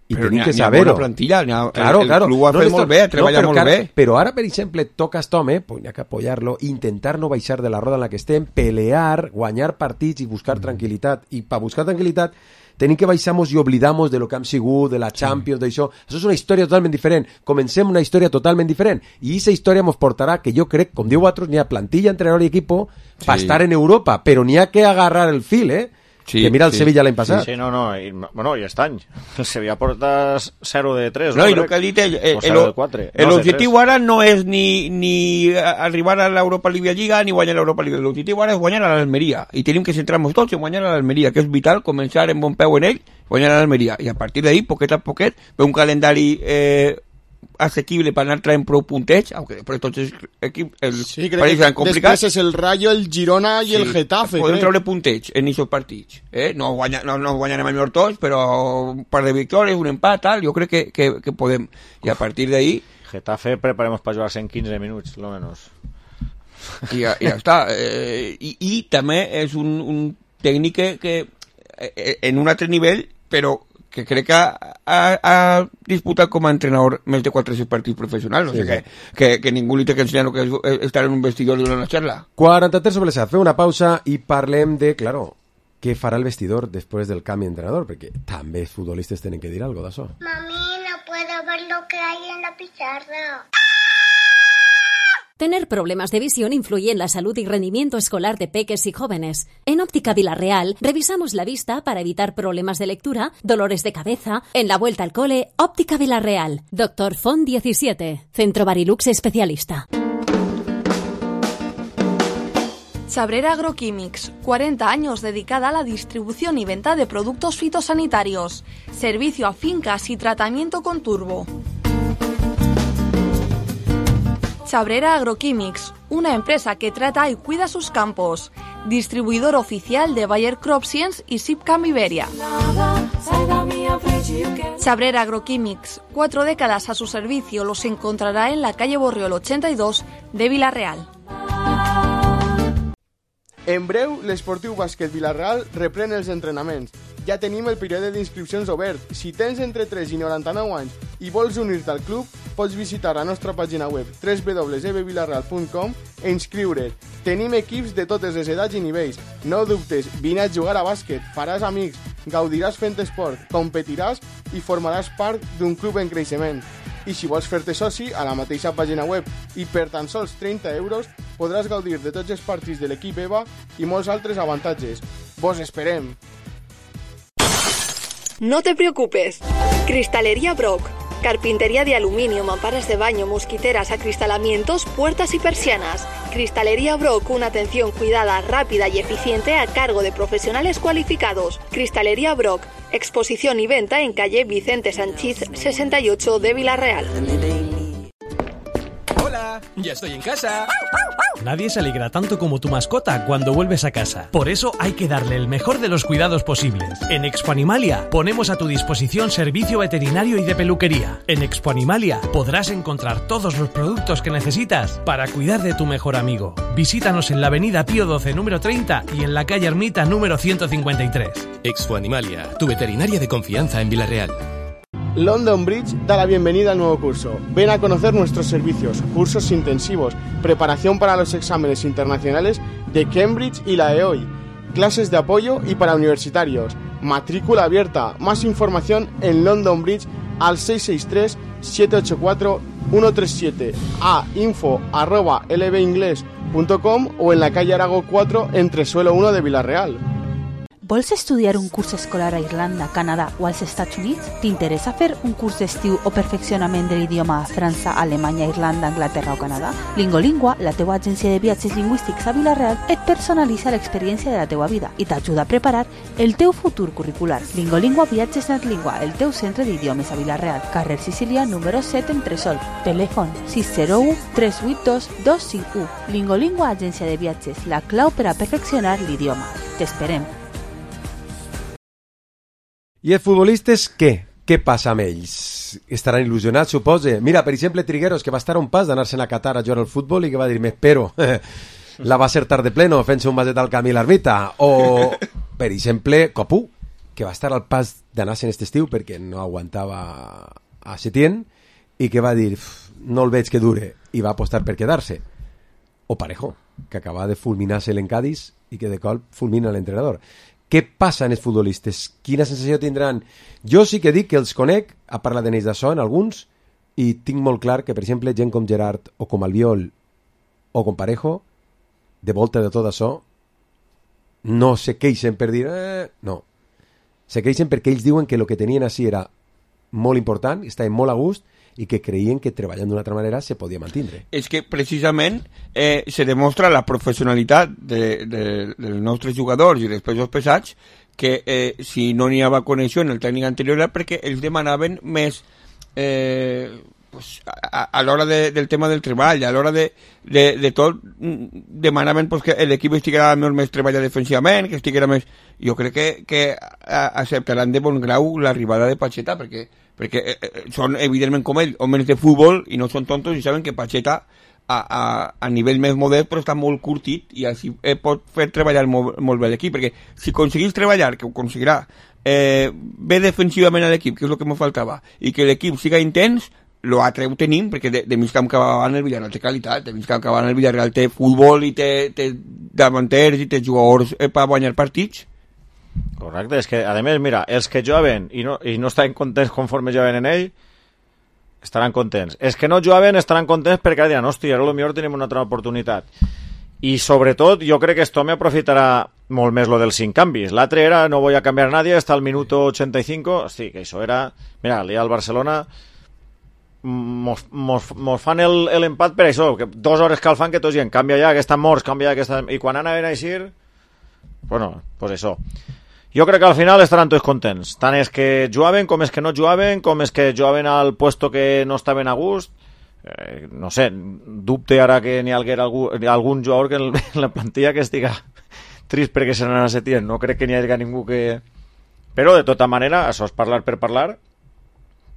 I però tenim ha, que saber-ho. Plantilla, ha, claro, el, claro. el club ho ha no fet molt bé, ha treballat no, molt ara, bé. Però ara, per exemple, toca a aquest home, pues n'hi ha que apoyar-lo, intentar no baixar de la roda en la que estem, pelear, guanyar partits i buscar tranquil·litat. I per buscar tranquil·litat tenim que baixar-nos i oblidar-nos de lo que hem sigut, de la Champions, sí. d'això. Això és una història totalment diferent. Comencem una història totalment diferent. I aquesta història ens portarà, que jo crec, com diu altres, n'hi ha plantilla, entrenador i equipo sí. per estar en Europa, però n'hi ha que agarrar el fil, eh? Sí, que mira el sí. Sevilla l'any passat. Sí, sí, no, no, i, bueno, i aquest any. El Sevilla porta zero de tres, no? No, i el que ha dit ell, l'objectiu ara no és ni, ni arribar a l'Europa League Lliga ni guanyar l'Europa League. L'objectiu ara és guanyar a l'Almeria. I tenim que centrar-nos tots en guanyar a l'Almeria, que és vital començar en bon peu en ell, guanyar a l'Almeria. I a partir d'ahí, poquet a poquet, ve un calendari eh, asequible per anar traient prou puntets, aunque després tots els equips els sí, partits seran complicats. Després és el Rayo, el Girona i sí, el Getafe. Podem treure puntets en aquests partits. Eh? No, guanya, no, no guanyarem el millor tots, però un par de victòries, un empat, tal, jo crec que, que, que podem. I a partir d'ahí... Getafe preparemos para jugar en quinze minuts, lo menos. I ja, ja està. Eh, i, I també és un, un tècnic que, que eh, en un altre nivell, però que crec que ha, ha disputat com a entrenador més de quatre-cents partits professionals, sí, o sigui sí. que, que, que ningú li té que ensenyar que és estar en un vestidor i donar una xarra. quaranta-tres sobre l'E S A, fem una pausa i parlem de, claro, què farà el vestidor després del canvi d'entrenador, perquè també els futbolistes tenen que dir algo d'això. Mami, no puedo ver lo que hay en la pizarra. Tener problemas de visión influye en la salud y rendimiento escolar de peques y jóvenes. En Óptica Villarreal revisamos la vista para evitar problemas de lectura, dolores de cabeza. En la vuelta al cole, Óptica Villarreal. Doctor Font diecisiete. Centro Barilux especialista. Chabrera Agroquímics, cuarenta años dedicada a la distribución y venta de productos fitosanitarios. Servicio a fincas y tratamiento con turbo. Chabrera Agroquímics, una empresa que trata y cuida sus campos. Distribuidor oficial de Bayer CropScience y Sipcam Iberia. Chabrera Agroquímics, cuatro décadas a su servicio, los encontrará en la calle Borriol ochenta y dos de Vila-real. En breu, l'Esportiu Bàsquet Vila-real reprèn els entrenaments. Ja tenim el període d'inscripcions obert. Si tens entre tres i noranta-nou anys i vols unir-te al club, pots visitar la nostra pàgina web w w w punt e b villarreal punt com e inscriure't. Tenim equips de totes les edats i nivells. No dubtes, vine a jugar a bàsquet, faràs amics, gaudiràs fent esport, competiràs i formaràs part d'un club en creixement. I si vols fer-te soci, a la mateixa pàgina web i per tan sols trenta euros podràs gaudir de tots els partits de l'equip EVA i molts altres avantatges. Vos esperem! No te preocupes. Cristalería Brock. Carpintería de aluminio, mamparas de baño, mosquiteras, acristalamientos, puertas y persianas. Cristalería Brock, una atención cuidada, rápida y eficiente a cargo de profesionales cualificados. Cristalería Brock, exposición y venta en calle Vicente Sanchís sesenta y ocho de Vila-real. Hola. Hola, ya estoy en casa. Nadie se alegra tanto como tu mascota cuando vuelves a casa. Por eso hay que darle el mejor de los cuidados posibles. En Expo Animalia ponemos a tu disposición servicio veterinario y de peluquería. En Expo Animalia podrás encontrar todos los productos que necesitas para cuidar de tu mejor amigo. Visítanos en la avenida Pío doce número treinta y en la calle Ermita número ciento cincuenta y tres. Expo Animalia, tu veterinaria de confianza en Villarreal. London Bridge da la bienvenida al nuevo curso. Ven a conocer nuestros servicios, cursos intensivos, preparación para los exámenes internacionales de Cambridge y la E O I, clases de apoyo y para universitarios, matrícula abierta. Más información en London Bridge al seis seis tres, siete ocho cuatro, uno tres siete, a info arroba l b inglés punto com o en la calle Arago cuatro entre suelo uno de Villarreal. Vols estudiar un curs escolar a Irlanda, Canadà o als Estats Units? T'interessa fer un curs d'estiu o perfeccionament de l'idioma a França, Alemanya, Irlanda, Anglaterra o Canadà? Lingolingua, la teua agència de viatges lingüístics a Vila-real, et personalitza l'experiència de la teua vida i t'ajuda a preparar el teu futur curricular. Lingolingua Viatges Natlingua, el teu centre d'idiomes a Vila-real, carrer Sicília número set en Tresol. Telèfon sis zero u, tres vuit dos, dos cinc u. Lingolingua Agència de Viatges, la clau per a perfeccionar l'idioma. T'esperem. I els futbolistes, què? Què passa amb ells? Estaran il·lusionats, suposa? Mira, per exemple, Trigueros, que va estar a un pas d'anar-se'n a Qatar a jugar al futbol i que va dir, m'espero, la va acertar de pleno fent-se un baset al camí a l'ermita. O, per exemple, Copu, que va estar al pas d'anar-se'n aquest estiu perquè no aguantava a Setién i que va dir, no el veig que dure, i va apostar per quedar-se. O Parejo, que acaba de fulminar-se l'Encadis i que de cop fulmina l'entrenador. Què passa en els futbolistes? Quina sensació tindran? Jo sí que dic que els conec, ha parlat d'ells d'això en alguns, i tinc molt clar que, per exemple, gent com Gerard o com Albiol o com Parejo, de volta de tot això, no se queixen per dir... Eh, no. Se queixen perquè ells diuen que el que tenien així era molt important, estaven molt a gust, i que creien que treballant d'una altra manera se podia mantindre. És que precisament eh, se demostra la professionalitat de, de, dels nostres jugadors i dels pesos pesats que eh, si no n'hi havia connexió en el tècnic anterior era perquè ells demanaven més eh, pues, a, a l'hora de, del tema del treball, a l'hora de, de, de tot demanaven pues, que l'equip estiguera més treballat defensivament, que estiguera més... Jo crec que, que acceptaran de bon grau l'arribada de Pacheta perquè perquè eh, són evidentment com ell homes de futbol i no són tontos i saben que Pacheta a, a, a nivell més modern però està molt curtit i així eh, pot fer treballar molt, molt bé l'equip perquè si aconseguís treballar, que ho aconseguirà eh, bé defensivament a l'equip que és el que me faltava i que l'equip siga intens lo altre ho tenim perquè de, de mig camp que va en el Villarreal té qualitat, de mig camp que va en el Villarreal té futbol i té, té davanters i té jugadors eh, per guanyar partits. Correcte, és que, a més, mira, els que jugaven i no, i no estaven contents conforme jugaven en ell, estaran contents. Els que no jugaven estaran contents perquè diran, hòstia, ara potser tenim una altra oportunitat. I, sobretot, jo crec que esto me aprofitarà molt més lo dels cinc canvis. L'altre era, no voy a cambiar a nadie hasta el minuto ochenta y cinco. Hosti, que això era... Mira, al Barcelona mos, mos, mos fan l'empat per això, que dues hores que el fan que tots dient, canvia ja, que estan morts, canvia ja, que estan... I quan anaven a eixir... Bueno, pues això. Jo crec que al final estaran tots contents, tant és que jugaven com és que no jugaven, com és que jugaven al puesto que no estaven a gust. Eh, no sé, dubte ara que n'hi haguera algú, algun jugador que en la plantilla que estiga trist perquè se n'anà a Setién. No crec que n'hi hagi ningú que... Però, de tota manera, això és parlar per parlar,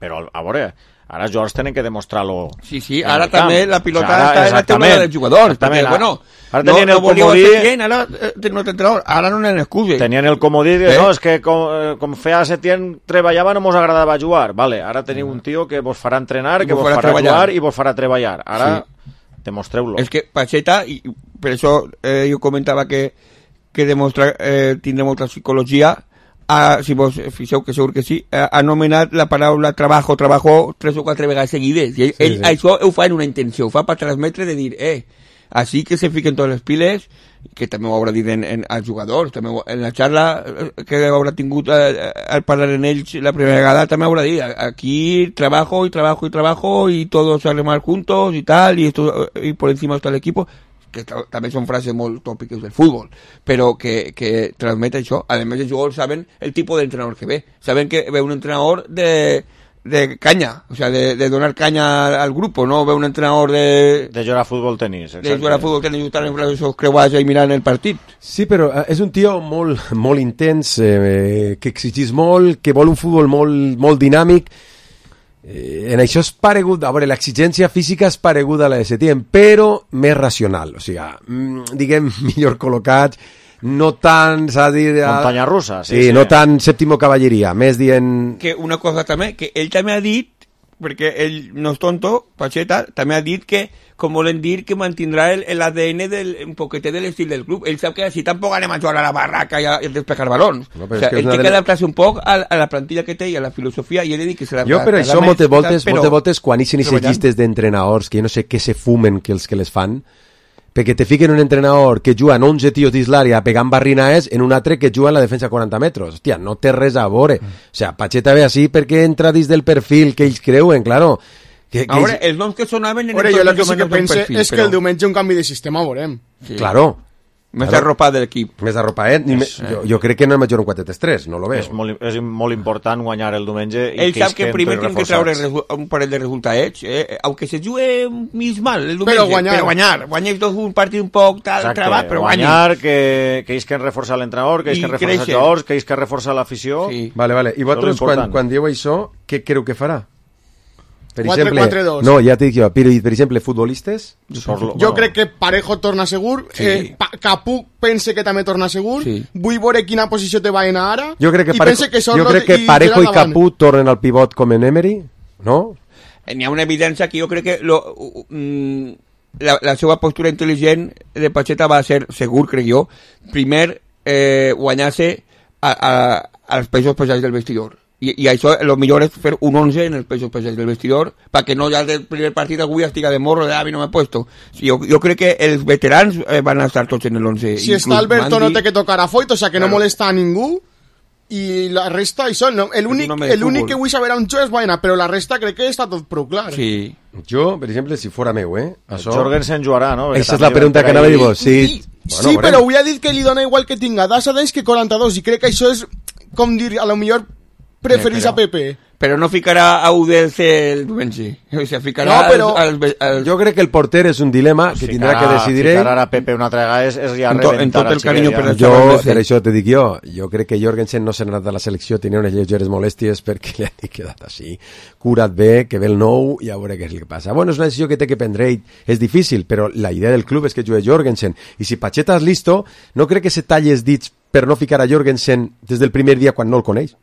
però, a veure, ara els jugadors tenen que demostrar-lo. Sí, sí, ara també la pilota o sea, està en la teula dels jugadors, perquè, bueno, ara no, no volíeu fer gent, ara tenen un entrenador, ara no n'hi excusa. Tenien el comodí, eh? No, és que com, com feia Setién treballava no mos agradava jugar, vale, ara teniu un tio que vos farà entrenar, que vos farà treballar. Jugar i vos farà treballar, ara sí. Demostreu-lo. És que Pacheta, i per això eh, jo comentava que, que demostra eh, tindre molta psicologia. Ah, si vos fixeu, que segur que sí, ha anomenat la paraula trabajo, trabajo tres o quatre vegades seguides. I ell, sí, ell sí. Això ho fa en una intenció, ho fa per transmetre de dir, eh, així que se fiquen totes les piles, que també ho haurà dit en, en, als jugadors, també ho, en la xarra que haurà tingut eh, al parlar en ells la primera vegada, també haurà dit, aquí trabajo y trabajo y trabajo y todos a remar juntos y tal, y, esto, y por encima está el equipo. Que també són frases molt tòpiques del futbol, però que, que transmet això. A més, els jugadors saben el tipus d'entrenador que ve. Saben que ve un entrenador de, de caña, o sea, de, de donar caña al grupo, no ve un entrenador de... De jugar a futbol tenis, exacte. De jugar a futbol tenis i estar en esos creuats i mirant el partit. Sí, però és un tio molt, molt intens, eh, que exigís molt, que vol un futbol molt, molt dinàmic. Eh, en això és paregut, a veure, l'exigència física és pareguda a la de Setién, però més racional, o sigui, diguem, millor col·locats, no tan, s'ha de dir... Muntanya russa, sí, sí, sí. No tan sèptimo cavalleria, més dient... Que una cosa també, que ell també ha dit, perquè ell no és tonto, Pacheta, també ha dit que, com volen dir, que mantindrà el, el A D N del, un poquetet de l'estil del club. Ell sap que així tampoc anem a jugar a la barraca i a, i a despejar balons. No, o sea, ell té que adaptar-se un poc a, a la plantilla que té i a la filosofia, i ell ha dit que se la... Jo, però això, moltes voltes, moltes voltes, quan ixen aquestes llistes d'entrenadors, que jo no sé què se fumen que els que les fan, perquè te fiquen un entrenador que juga en onze tios dins l'àrea pegant barrinaes en un altre que juga en la defensa a quaranta metres. Hòstia, no té res a veure. Mm. O sea, Pacheta ve així perquè entra dins del perfil que ells creuen, claro. Que, que a veure, ells... els noms que sonaven... Veure, jo el que sí que pense perfil, és però... que el diumenge un canvi de sistema veurem. Sí. Claro. Més claro. Arropat de l'equip. Més arropat. Eh? Jo, jo crec que no és major un quatre tres tres, no lo veo. És molt, és molt important guanyar el diumenge. Ell sap que primer tem que treure un parell de resultats, eh? Aunque se jugue mig mal el diumenge, però guanyar. Però guanyar. Guanyar dos un partit un poc tal, trabat, però guanyar. Guanyar, que, que ells que reforçar l'entrenador, que ells que reforçar els jugadors, que ells que reforçar l'afició. Sí. Vale, vale. I vosaltres, quan, quan dieu això, què creu que farà? Per quatre quatre dos. No, ja t'he dit jo, per, per exemple, futbolistes... Sorlo, jo bueno. crec que Parejo torna segur, sí. eh, pa, Capú pense que també torna segur, sí. Vull veure quina posició te va anar ara, jo crec que i Parejo, pense que Sorlo jo crec que i Parejo i Capú tornen al pivot com en Emery, no? N'hi ha una evidència que jo crec que lo, mm, la, la seva postura intel·ligent de Pacheta va ser, segur, crec jo, primer eh, guanyar-se a, a, als pesos pesats del vestidor. I, i això, el millor és fer un once en els pesos pesats del vestidor perquè no ja del primer partit algú ja estiga de morro de ah, mi no m'he puesto. Jo, jo crec que els veterans eh, van a estar tots en el once. Si està Alberto Mandi... no té que tocar a Foyt, o sea que claro. No molesta a ningú i la resta, això, no? l'únic no que vull saber on jo és Baena, però la resta crec que està tot prou clar. Sí. Jo, per exemple, si fora meu, eh? Això... Jorgensen jugarà, no? Aquesta és la pregunta que anava a dir vos. Sí, sí, bueno, sí però avui ha dit que li dona igual que tinga Dasa Deix que quaranta-dos i crec que això és, com dir, a lo millor preferís a Pepe. Però no ficarà a U D C el diumenge. O sea, ficarà no, però... als, als, als... Jo crec que el porter és un dilema que ficarà, tindrà que decidir ell. Ficar a Pepe una altra vegada és, és ja en, to, en tot el carinyo per jo, per això te dic jo, jo crec que Jorgensen no s'ha anat de la selecció, tenia unes lleugeres molèsties perquè li ha quedat així. Cura't bé, que ve el nou i a veure què és el que passa. Bueno, és una decisió que té que prendre ell. És difícil, però la idea del club és que jugui Jorgensen. I si Pacheta és listo, no crec que se talli els dits per no ficar a Jorgensen des del primer dia quan no el coneix.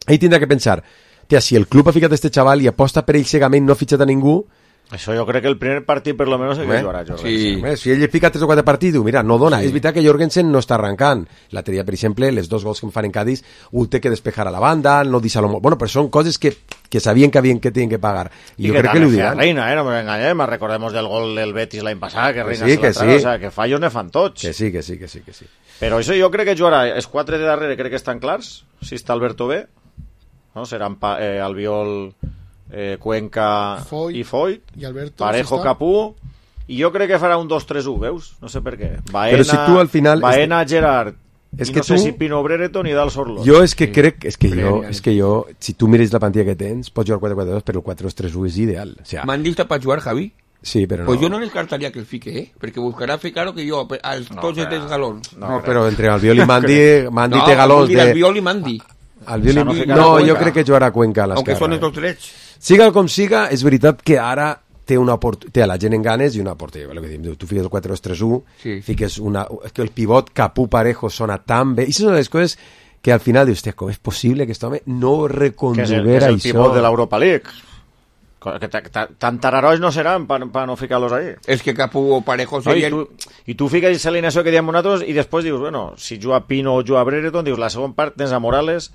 Ell tindrà que pensar, tia, si el club ha ficat este xaval i aposta per ell cegament, no ha fitxat a ningú... Això jo crec que el primer partit per lo menos el que jugarà Jorgensen. Sí. Bé, si ell fica tres o quatre partits, diu, mira, no dona. Sí. És veritat que Jorgensen no està arrencant. L'altre dia, per exemple, les dos gols que em fan en Cádiz, ho té que despejar a la banda, no deixar-lo molt... Bueno, però són coses que, que sabien que havien que tenien que pagar. I, I jo crec que li ho diran. Reina, eh? No ens enganyem, recordemos del gol del Betis l'any passat, que Reina sí, que sí. O sea, que fallos ne fan tots. Que sí, que sí, que sí, que sí. Però això jo crec que jugarà, els quatre de darrere crec que estan clars, si està Alberto bé, no? Seran pa, eh, Albiol, eh, Cuenca Foyt, i Foyt, i Alberto, Parejo, si Capú, i jo crec que farà un dos tres u, veus? No sé per què. Baena, però si tu al final... Baena, és... Gerard, és i que no sé tu... si Pino Brereton i Dal Sorlo. Jo és que sí. crec, és que jo, és que jo, si tu mires la plantilla que tens, pots jugar quatre quatre dos, però el quatre dos tres u és ideal. O sea, m'han dit per jugar, Javi? Sí, però no. Pues jo no descartaria que el fique, eh? Perquè buscarà ficar que jo, als no, tots els galons. No, no però entre Albiol i Mandi, Mandi no, té galons de... No, Albiol i Mandi. Albiol i... No, no jo crec que jugarà Cuenca a l'esquerra. Aunque són els dos drets. Siga com siga, és veritat que ara té una port... té a la gent en ganes i una porteria. Tu fiques el quatre dos tres u, sí. Fiques una... que el pivot Capú Parejo sona tan bé. I són les coses que al final dius, com és possible que aquest home no reconduguera això? Que és el, que és el pivot de l'Europa League. Que tan tararois no seran per pa no ficar-los ahí. És que Capú o Parejo serien... No, i, tu, I tu fiques l'alineació que diem nosaltres i després dius, bueno, si juga Pino o juga Brereton, dius, la segona part tens a Morales,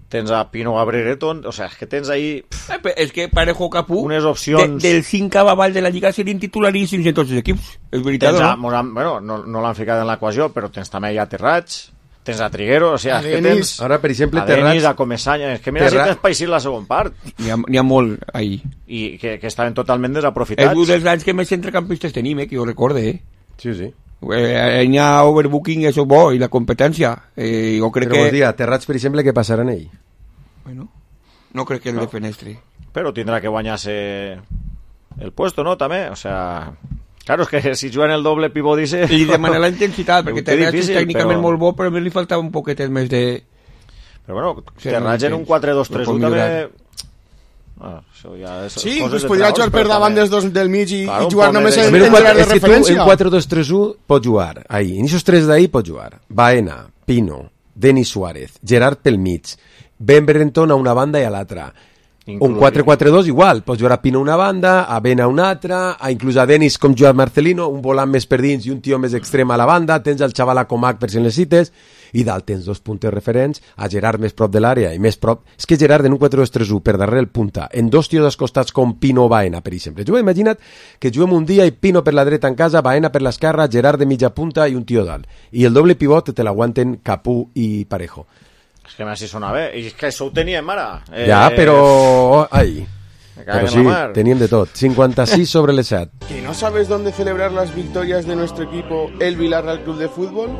tens a Pino o a Brereton, o sea, és que tens ahí... Eh, és que Parejo o Capú, unes opcions... De, del cinc avall de la Lliga serien titularíssims en tots els equips. És veritat, a, no? Bueno, no, no l'han ficat en l'equació, però tens també ja Terrats, tens a Triguero, o sea, a és que tens... Ara, per exemple, a Denis, a Comesanya, és que mira Terrat... si tens paisir la segona part. N'hi ha, ha molt ahí. I que, que estaven totalment desaprofitats. És un dels anys que més centrecampistes tenim, eh, que jo recorde, eh? Sí, sí. Eh, hi ha overbooking, això bo, i la competència. Eh, jo crec Però que... Però dir, a Terrats, per exemple, què passarà en ell? Bueno... no crec que el no. defenestri. Però tindrà que guanyar-se el puesto, no? També, o sea... Claro, és que si juguen el doble pivot dice... I demana la intensitat, perquè Terratge és tècnicament però... molt bo, però a mi li faltava un poquetet més de... Però bueno, Terratge en un quatre dos tres u també... Ah, això ja és sí, pues podria jugar per davant dels dos del mig i, claro, i jugar només en el central de referència. En quatre dos tres u pot jugar, ahí. En esos tres d'ahí pot jugar. Baena, Pino, Denis Suárez, Gerard pel mig, Ben Brereton a una banda i a l'altra. Un quatre quatre dos igual, pots jugar a Pino a una banda, a Ben a una altra, a inclús a Denis com jugar Marcelino, un volant més per dins i un tio més extrem a la banda, tens el xaval a Comac per si necessites, i dalt tens dos puntes referents, a Gerard més prop de l'àrea i més prop... És que Gerard en un quatre dos tres u per darrere el punta, en dos tios als costats com Pino o Baena, per exemple. Jo imagina't que juguem un dia i Pino per la dreta en casa, Baena per l'esquerra, Gerard de mitja punta i un tio dalt. I el doble pivot te l'aguanten Capú i Parejo. És que m'així sona bé. I és que això ho teníem ara. Eh... Ja, però... Ai... Pero sí, tenían de todo. cincuenta y seis sobre el set. ¿Que no sabes dónde celebrar las victorias de nuestro equipo, el Villarreal Club de Fútbol?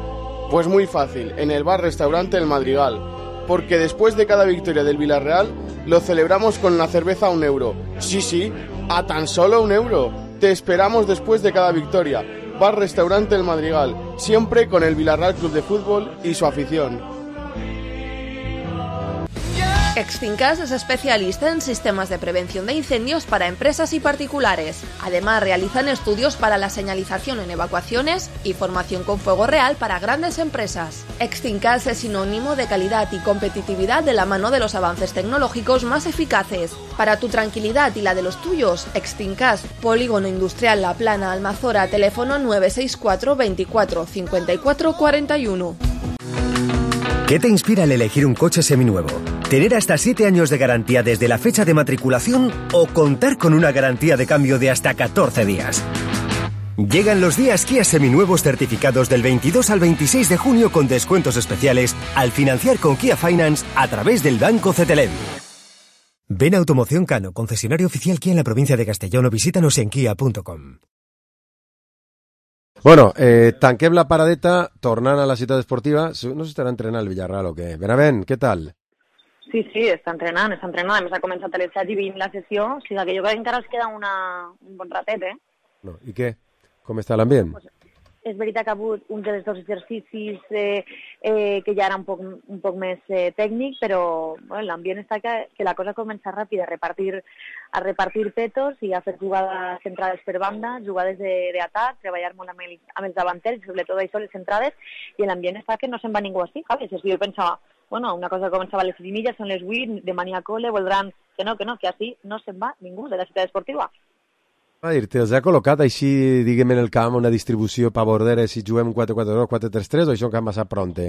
Pues muy fácil, en el bar-restaurante El Madrigal. Porque después de cada victoria del Villarreal, lo celebramos con una cerveza a un euro. Sí, sí, a tan solo un euro. Te esperamos después de cada victoria. Bar-restaurante El Madrigal. Siempre con el Villarreal Club de Fútbol y su afición. Extincas es especialista en sistemas de prevención de incendios para empresas y particulares. Además, realizan estudios para la señalización en evacuaciones y formación con fuego real para grandes empresas. Extincas es sinónimo de calidad y competitividad de la mano de los avances tecnológicos más eficaces. Para tu tranquilidad y la de los tuyos, Extincas, Polígono Industrial La Plana, Almazora, teléfono nueve seis cuatro veinticuatro cincuenta y cuatro cuarenta y uno. ¿Qué te inspira al elegir un coche seminuevo? ¿Tener hasta siete años de garantía desde la fecha de matriculación o contar con una garantía de cambio de hasta catorce días? Llegan los días Kia seminuevos certificados del veintidós al veintiséis de junio con descuentos especiales al financiar con Kia Finance a través del Banco Cetelem. Ven a Automoción Cano, concesionario oficial Kia en la provincia de Castellón, o visítanos en kia punto com. Bueno, eh, tanquem la paradeta, tornant a la ciutat esportiva. No s'estarà entrenant el Villarreal o què? Benavent, què tal? Sí, sí, està entrenant, està entrenant. A més, ha començat a les set i vint la sessió, o sigui que jo crec que encara es queda una, un bon ratet, eh? No. I què? Com està l'ambient? Pues, és veritat que ha hagut un dels dos exercicis eh, eh, que ja era un poc, un poc més eh, tècnic, però bueno, l'ambient està que, que la cosa comença ràpida, a repartir, a repartir petos i a fer jugades centrades per banda, jugades d'atac, treballar molt amb, el, amb els davanters, sobretot això, les centrades, i l'ambient està que no se'n va ningú així, Javi. Si jo pensava, bueno, una cosa que començava a les set i mitja, són les vuit, de mania cole, voldran que no, que no, que així no se'n va ningú de la ciutat esportiva. A dir-te, els ha col·locat així, diguem, en el camp una distribució per bordera si juguem quatre quatre dos, quatre tres tres o això encara massa pronte?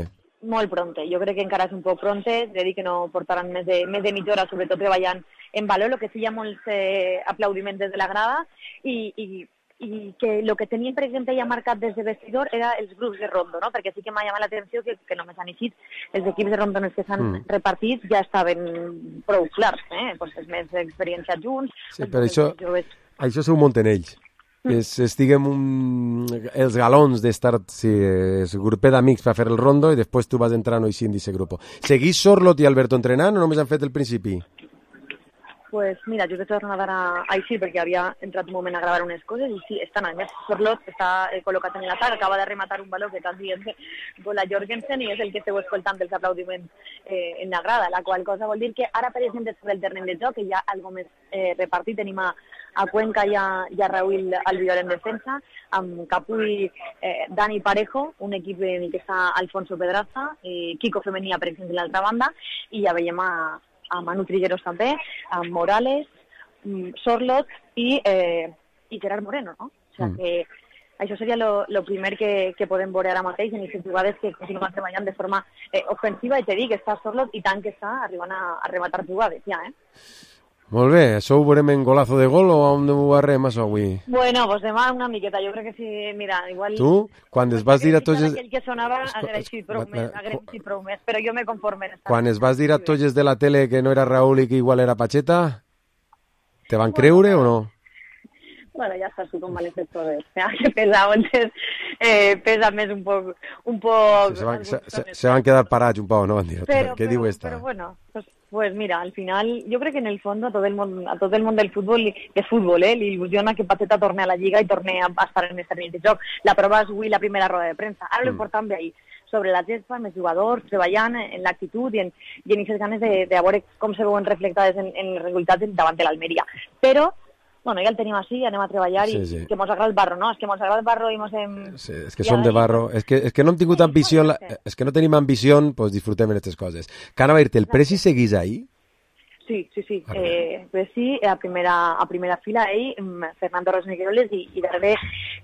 Molt pronte, jo crec que encara és un poc pronte, és a dir que no portaran més de, més de mitja hora, sobretot treballant en valor, el que sí hi ha molts eh, aplaudiments des de la grada i, i, i que el que tenien, per exemple, ja marcat des de vestidor era els grups de rondo, no? Perquè sí que m'ha llamat l'atenció que, que només han eixit els equips de rondo en els que s'han mm. repartit ja estaven prou clars, eh? Pues els més experienciats junts. Sí, però això... Joves... Això s'ho munten ells. Mm. És, és, diguem, un... els galons d'estar, sí, és un grupet d'amics per fer el rondo i després tu vas entrant així en aquest grup. Seguís Sorlot i Alberto entrenant o només han fet el principi? Pues mira, jo he tornat ara així perquè havia entrat un moment a gravar unes coses i sí, estan a més. Sorlot està eh, col·locat en l'atac, acaba de rematar un baló que està dient Bola Jorgensen i és el que esteu escoltant dels aplaudiments eh, en la grada, la qual cosa vol dir que ara, per exemple, sobre el terreny de joc, que hi ha algo més eh, repartit, tenim a, a Cuenca i a, i a Raúl Albiol en defensa, amb Capú i eh, Dani Parejo, un equip en el que està Alfonso Pedraza, i Kiko Femenia, per exemple, l'altra banda, i ja veiem a a Manu Trigueros també, a Morales, Sorlot i, eh, i Gerard Moreno, no? O sigui mm. que això seria el primer que, que podem veure ara mateix en aquestes jugades que continuen treballant de forma eh, ofensiva i te dic que està Sorlot i tant que està arribant a, a rematar jugades ja, eh? Molt bé, això ho veurem en golazo de gol o on ho arrem això avui? Bueno, pues demà una miqueta, jo crec que sí, mira, igual... Tu, quan es vas dir a tots... Aquell que sonava agraeixit prou més, agraeixit prou més, però jo me conforme. Quan es vas dir a tots de la tele que no era Raúl i que igual era Pacheta, te van creure o no? Bueno, ja estàs tu com malestes totes, ja, que pesa, entonces, eh, pesa més un poc... Un poc sí, se, van, se, se, se van quedar parats un poc, no van dir, però, què però, diu esta? Però bueno, pues, Pues mira, al final, yo creo que en el fondo a todo el mundo, a todo el mundo del fútbol, de fútbol, eh, le ilusiona que Pacheta torne a la Lliga y torne a, a estar en este terreny de joc. La prova és avui la primera roda de premsa. Ara mm. l'important ve ahir, sobre la gespa, amb els jugadors, treballant en l'actitud i en, i en aquestes ganes de, de veure com se veuen reflectades en, en els resultats davant de l'Almeria. Però, bueno, ja el tenim així, anem a treballar i sí, sí. que mos agrada el barro, no? És que mos agrada el barro i mos hem... Sí, és que som de barro. És que, és que no hem tingut ambició, la... és que no tenim ambició, pues disfrutem en aquestes coses. Que anava a dir-te, el Presi seguís ahí? Sí, sí, sí. Eh, pues sí, a primera, a primera fila ell, Fernando Rosnegueroles i, i darrere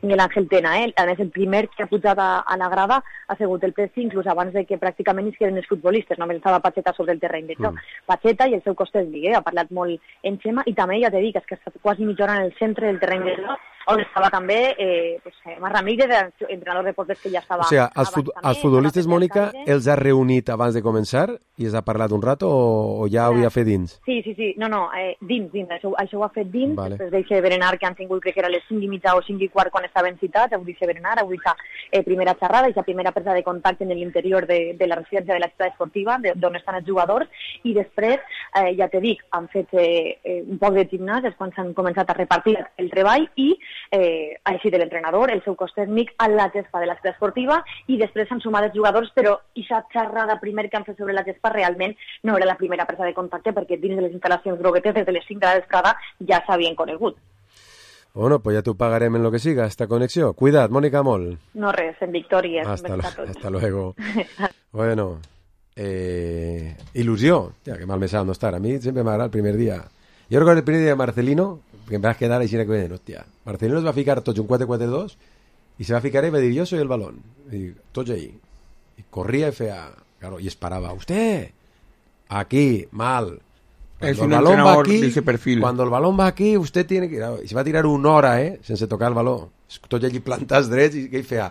Miguel Ángel Tena. Eh? A més, el primer que ha pujat a, a la grada ha sigut el Presi, inclús abans de que pràcticament es queden els futbolistes. Només estava Pacheta sobre el terreny de joc. Mm. Pacheta i el seu costat Miguel, ha parlat molt en Xema i també, ja t'he dit, és que està quasi mitja hora en el centre del terreny de joc, on estava també eh, pues, Mar Ramírez, entrenador de porters que ja estava... O sigui, els, fut també, els futbolistes, Mònica, els ha reunit abans de començar i els ha parlat un rato o, o ja ho havia fet dins? Sí, sí, sí. No, no, eh, dins, dins. Això, això ho ha fet dins, vale. Després d'eixe berenar que han tingut, crec que era les cinc i mitja o cinc i quart quan estaven citats, avui d'eixe berenar, avui aquesta eh, primera xerrada, aquesta primera presa de contacte en l'interior de, de la residència de la ciutat esportiva, d'on estan els jugadors, i després, eh, ja te dic, han fet eh, eh, un poc de gimnàs, és quan s'han començat a repartir el treball i eh, així de l'entrenador, el seu cos tècnic a la gespa de la ciutat esportiva i després s'han sumat els jugadors, però aquesta xerrada primer que han fet sobre la gespa realment no era la primera presa de contacte perquè dins de les instal·lacions groguetes des de les cinc de la vesprada ja s'havien conegut. Bueno, pues ya tú pagarem en lo que siga esta conexión. Cuidad, Mónica Moll. No res, en victòria. Hasta, lo, hasta luego. Bueno, eh, il·lusió. Ja, que mal me sabe no estar. A mí siempre me agrada el primer día. Yo recuerdo el primer día de Marcelino, que me vas a quedar ahí sin que hostia. Marcelino es va a ficar tots un quatre quatre dos y se va a ficar y va a dir, yo soy el balón. Y tots ahí. Y corría y fea. Claro, y esperaba, usted, aquí, mal. Cuando es un el balón entrenador va aquí, de ese perfil. Cuando el balón va aquí, usted tiene que... Y se va a tirar una hora, eh, sense tocar el balón. Tots allí plantats drets i què hi feia?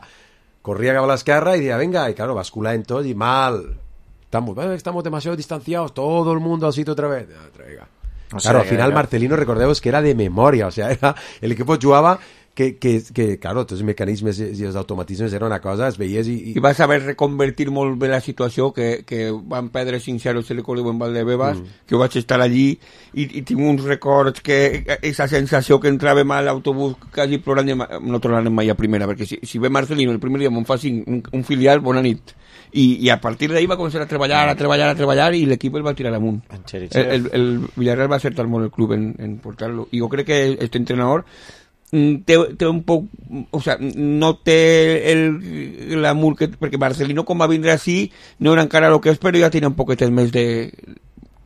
Corria cap a l'esquerra y decía, venga, y claro, bascula en todo y mal. Estamos, estamos demasiado distanciados, todo el mundo al sitio otra vez. Venga. O sea, claro, al final era... Marcelino, recordemos que era de memoria, o sea, era, el equipo jugaba que, que, que claro, tots els mecanismes i els automatismes era una cosa, es veies i... I, I va saber reconvertir molt bé la situació, que, que van perdre cinc zero, se li recordo en Valdebebas, mm. que vaig estar allí i, i tinc uns records que aquesta sensació que entràvem a l'autobús quasi plorant, no tornarem mai a primera, perquè si, si ve Marcelino el primer dia me'n fa cinc, un, un filial, bona nit. I, i a partir d'ahí va començar a treballar, a treballar, a treballar i l'equip el va tirar amunt. El, el, el Villarreal va acertar molt el club en, en portar-lo. I jo crec que este entrenador té, té un poc, o sea, no té el glamour que, perquè Marcelino com va vindre així no era encara el que és, però ja tenia un poquet més de,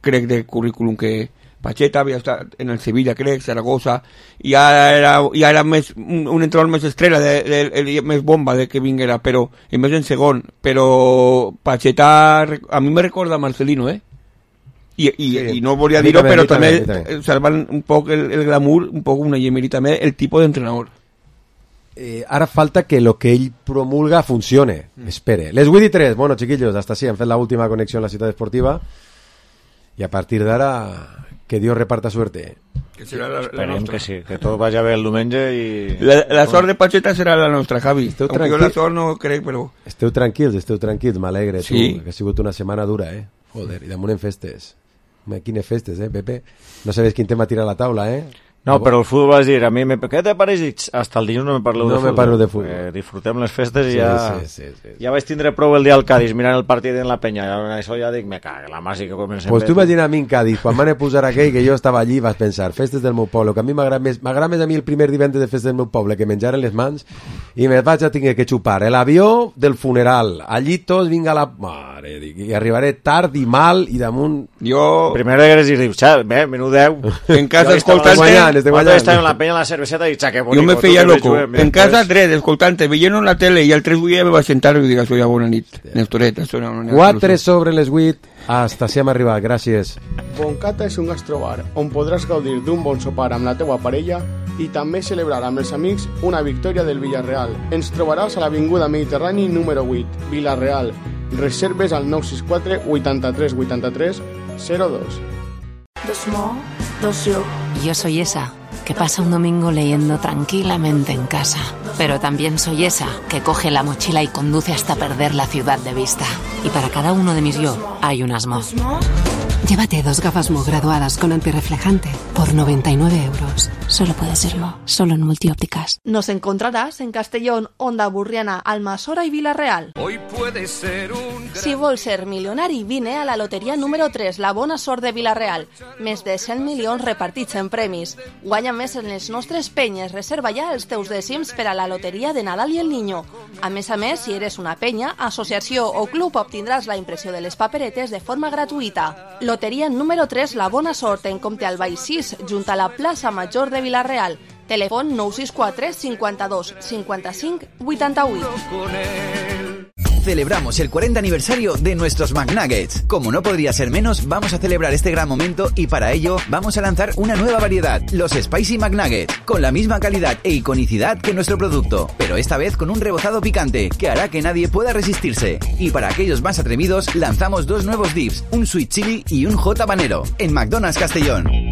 crec, de currículum que Pacheta, havia estat en el Sevilla, crec, Zaragoza, i ja era, ja era més, un, un entrenador més estrella, de, de, de, més bomba de que vinguera, però, i més en segon, però Pacheta, a mi me recorda a Marcelino, eh? I, i, sí. i no volia dir-ho, però també, també salvan un poc el, el glamour, un poc una llemeri també, el tipus d'entrenador. Eh, ara falta que lo que ell promulga funcione, mm. espere. Les vuit i tres, bueno, chiquillos, hasta sí, han fet la última conexión en la ciutat esportiva, i a partir d'ara que Dios reparta suerte. Que serà la, la nostra. Que sí, que tot vagi bé el diumenge i... La, la sort de Pacheta serà la nostra, Javi. Esteu Aunque jo la sort no crec, però... Esteu tranquils, esteu tranquils, m'alegre, sí. Tu, que ha sigut una setmana dura, eh? Joder, i damunt en festes. Quines festes, eh, Pepe? No sabes quin tema tira a la taula, eh? No, però el futbol vas dir, a mi, me... què te pareix? Hasta el dilluns no me parleu no de futbol. No me parlo de futbol. Eh, disfrutem les festes i sí, ja... Sí, sí, sí, sí. Ja vaig tindre prou el dia al Cádiz mirant el partit en la penya. Això ja dic, me cague, la màgia que comencem. Pues tu imagina a mi en Cádiz, quan van a posar aquell que jo estava allí, vas pensar, festes del meu poble, que a mi m'agrada més, m'agrada més a mi el primer divendres de festes del meu poble, que menjaren les mans, i me vaig a tenir que xupar l'avió del funeral. Allí tots vinga la... Mare, dic, i arribaré tard i mal, i damunt... Jo... Primero eres i dius, bé, menudeu. En casa escoltant... la penya la cerveseta i xaque bonico. Jo me feia loco. En casa tres, escoltante, veient la tele i al tres vull me va sentar i dic, soy a bona nit. Nestoreta, sona una quatre sobre les vuit. Hasta si hem arribat, gràcies. Boncata és un gastrobar on podràs gaudir d'un bon sopar amb la teua parella i també celebrar amb els amics una victòria del Villarreal. Ens trobaràs a l'Avinguda Mediterrani número vuit, Villarreal. Reserves al nou sis quatre vuitanta-tres vuitanta-tres zero dos. Dos mo, dos yo. Yo soy esa que pasa un domingo leyendo tranquilamente en casa. Pero también soy esa que coge la mochila y conduce hasta perder la ciudad de vista. Y para cada uno de mis yo hay unas mo. Llévate dos gafas Mo graduadas con antirreflejante por noventa y nueve euros. Solo puede ser Mo, solo en Multiópticas. Nos encontrarás en Castellón, Onda Burriana, Almassora y Vila-real. Hoy puede ser un... Si vols ser milionari, vine a la loteria número tres, la bona sort de Vila-real. Més de cent milions repartits en premis. Guanya més en les nostres penyes. Reserva ja els teus dècims per a la loteria de Nadal i el Niño. A més a més, si eres una penya, associació o club, obtindràs la impressió de les paperetes de forma gratuïta. Loteria número tres, la bona sort, en Comte Albay sis, junt a la plaça Major de Vila-real. Telèfon nou sis quatre cinquanta-dos cinquanta-cinc vuitanta-vuit. Celebramos el cuarenta aniversario de nuestros McNuggets. Como no podría ser menos, vamos a celebrar este gran momento y para ello vamos a lanzar una nueva variedad, los Spicy McNuggets, con la misma calidad e iconicidad que nuestro producto, pero esta vez con un rebozado picante que hará que nadie pueda resistirse. Y para aquellos más atrevidos, lanzamos dos nuevos dips, un sweet chili y un hot habanero, en McDonald's Castellón.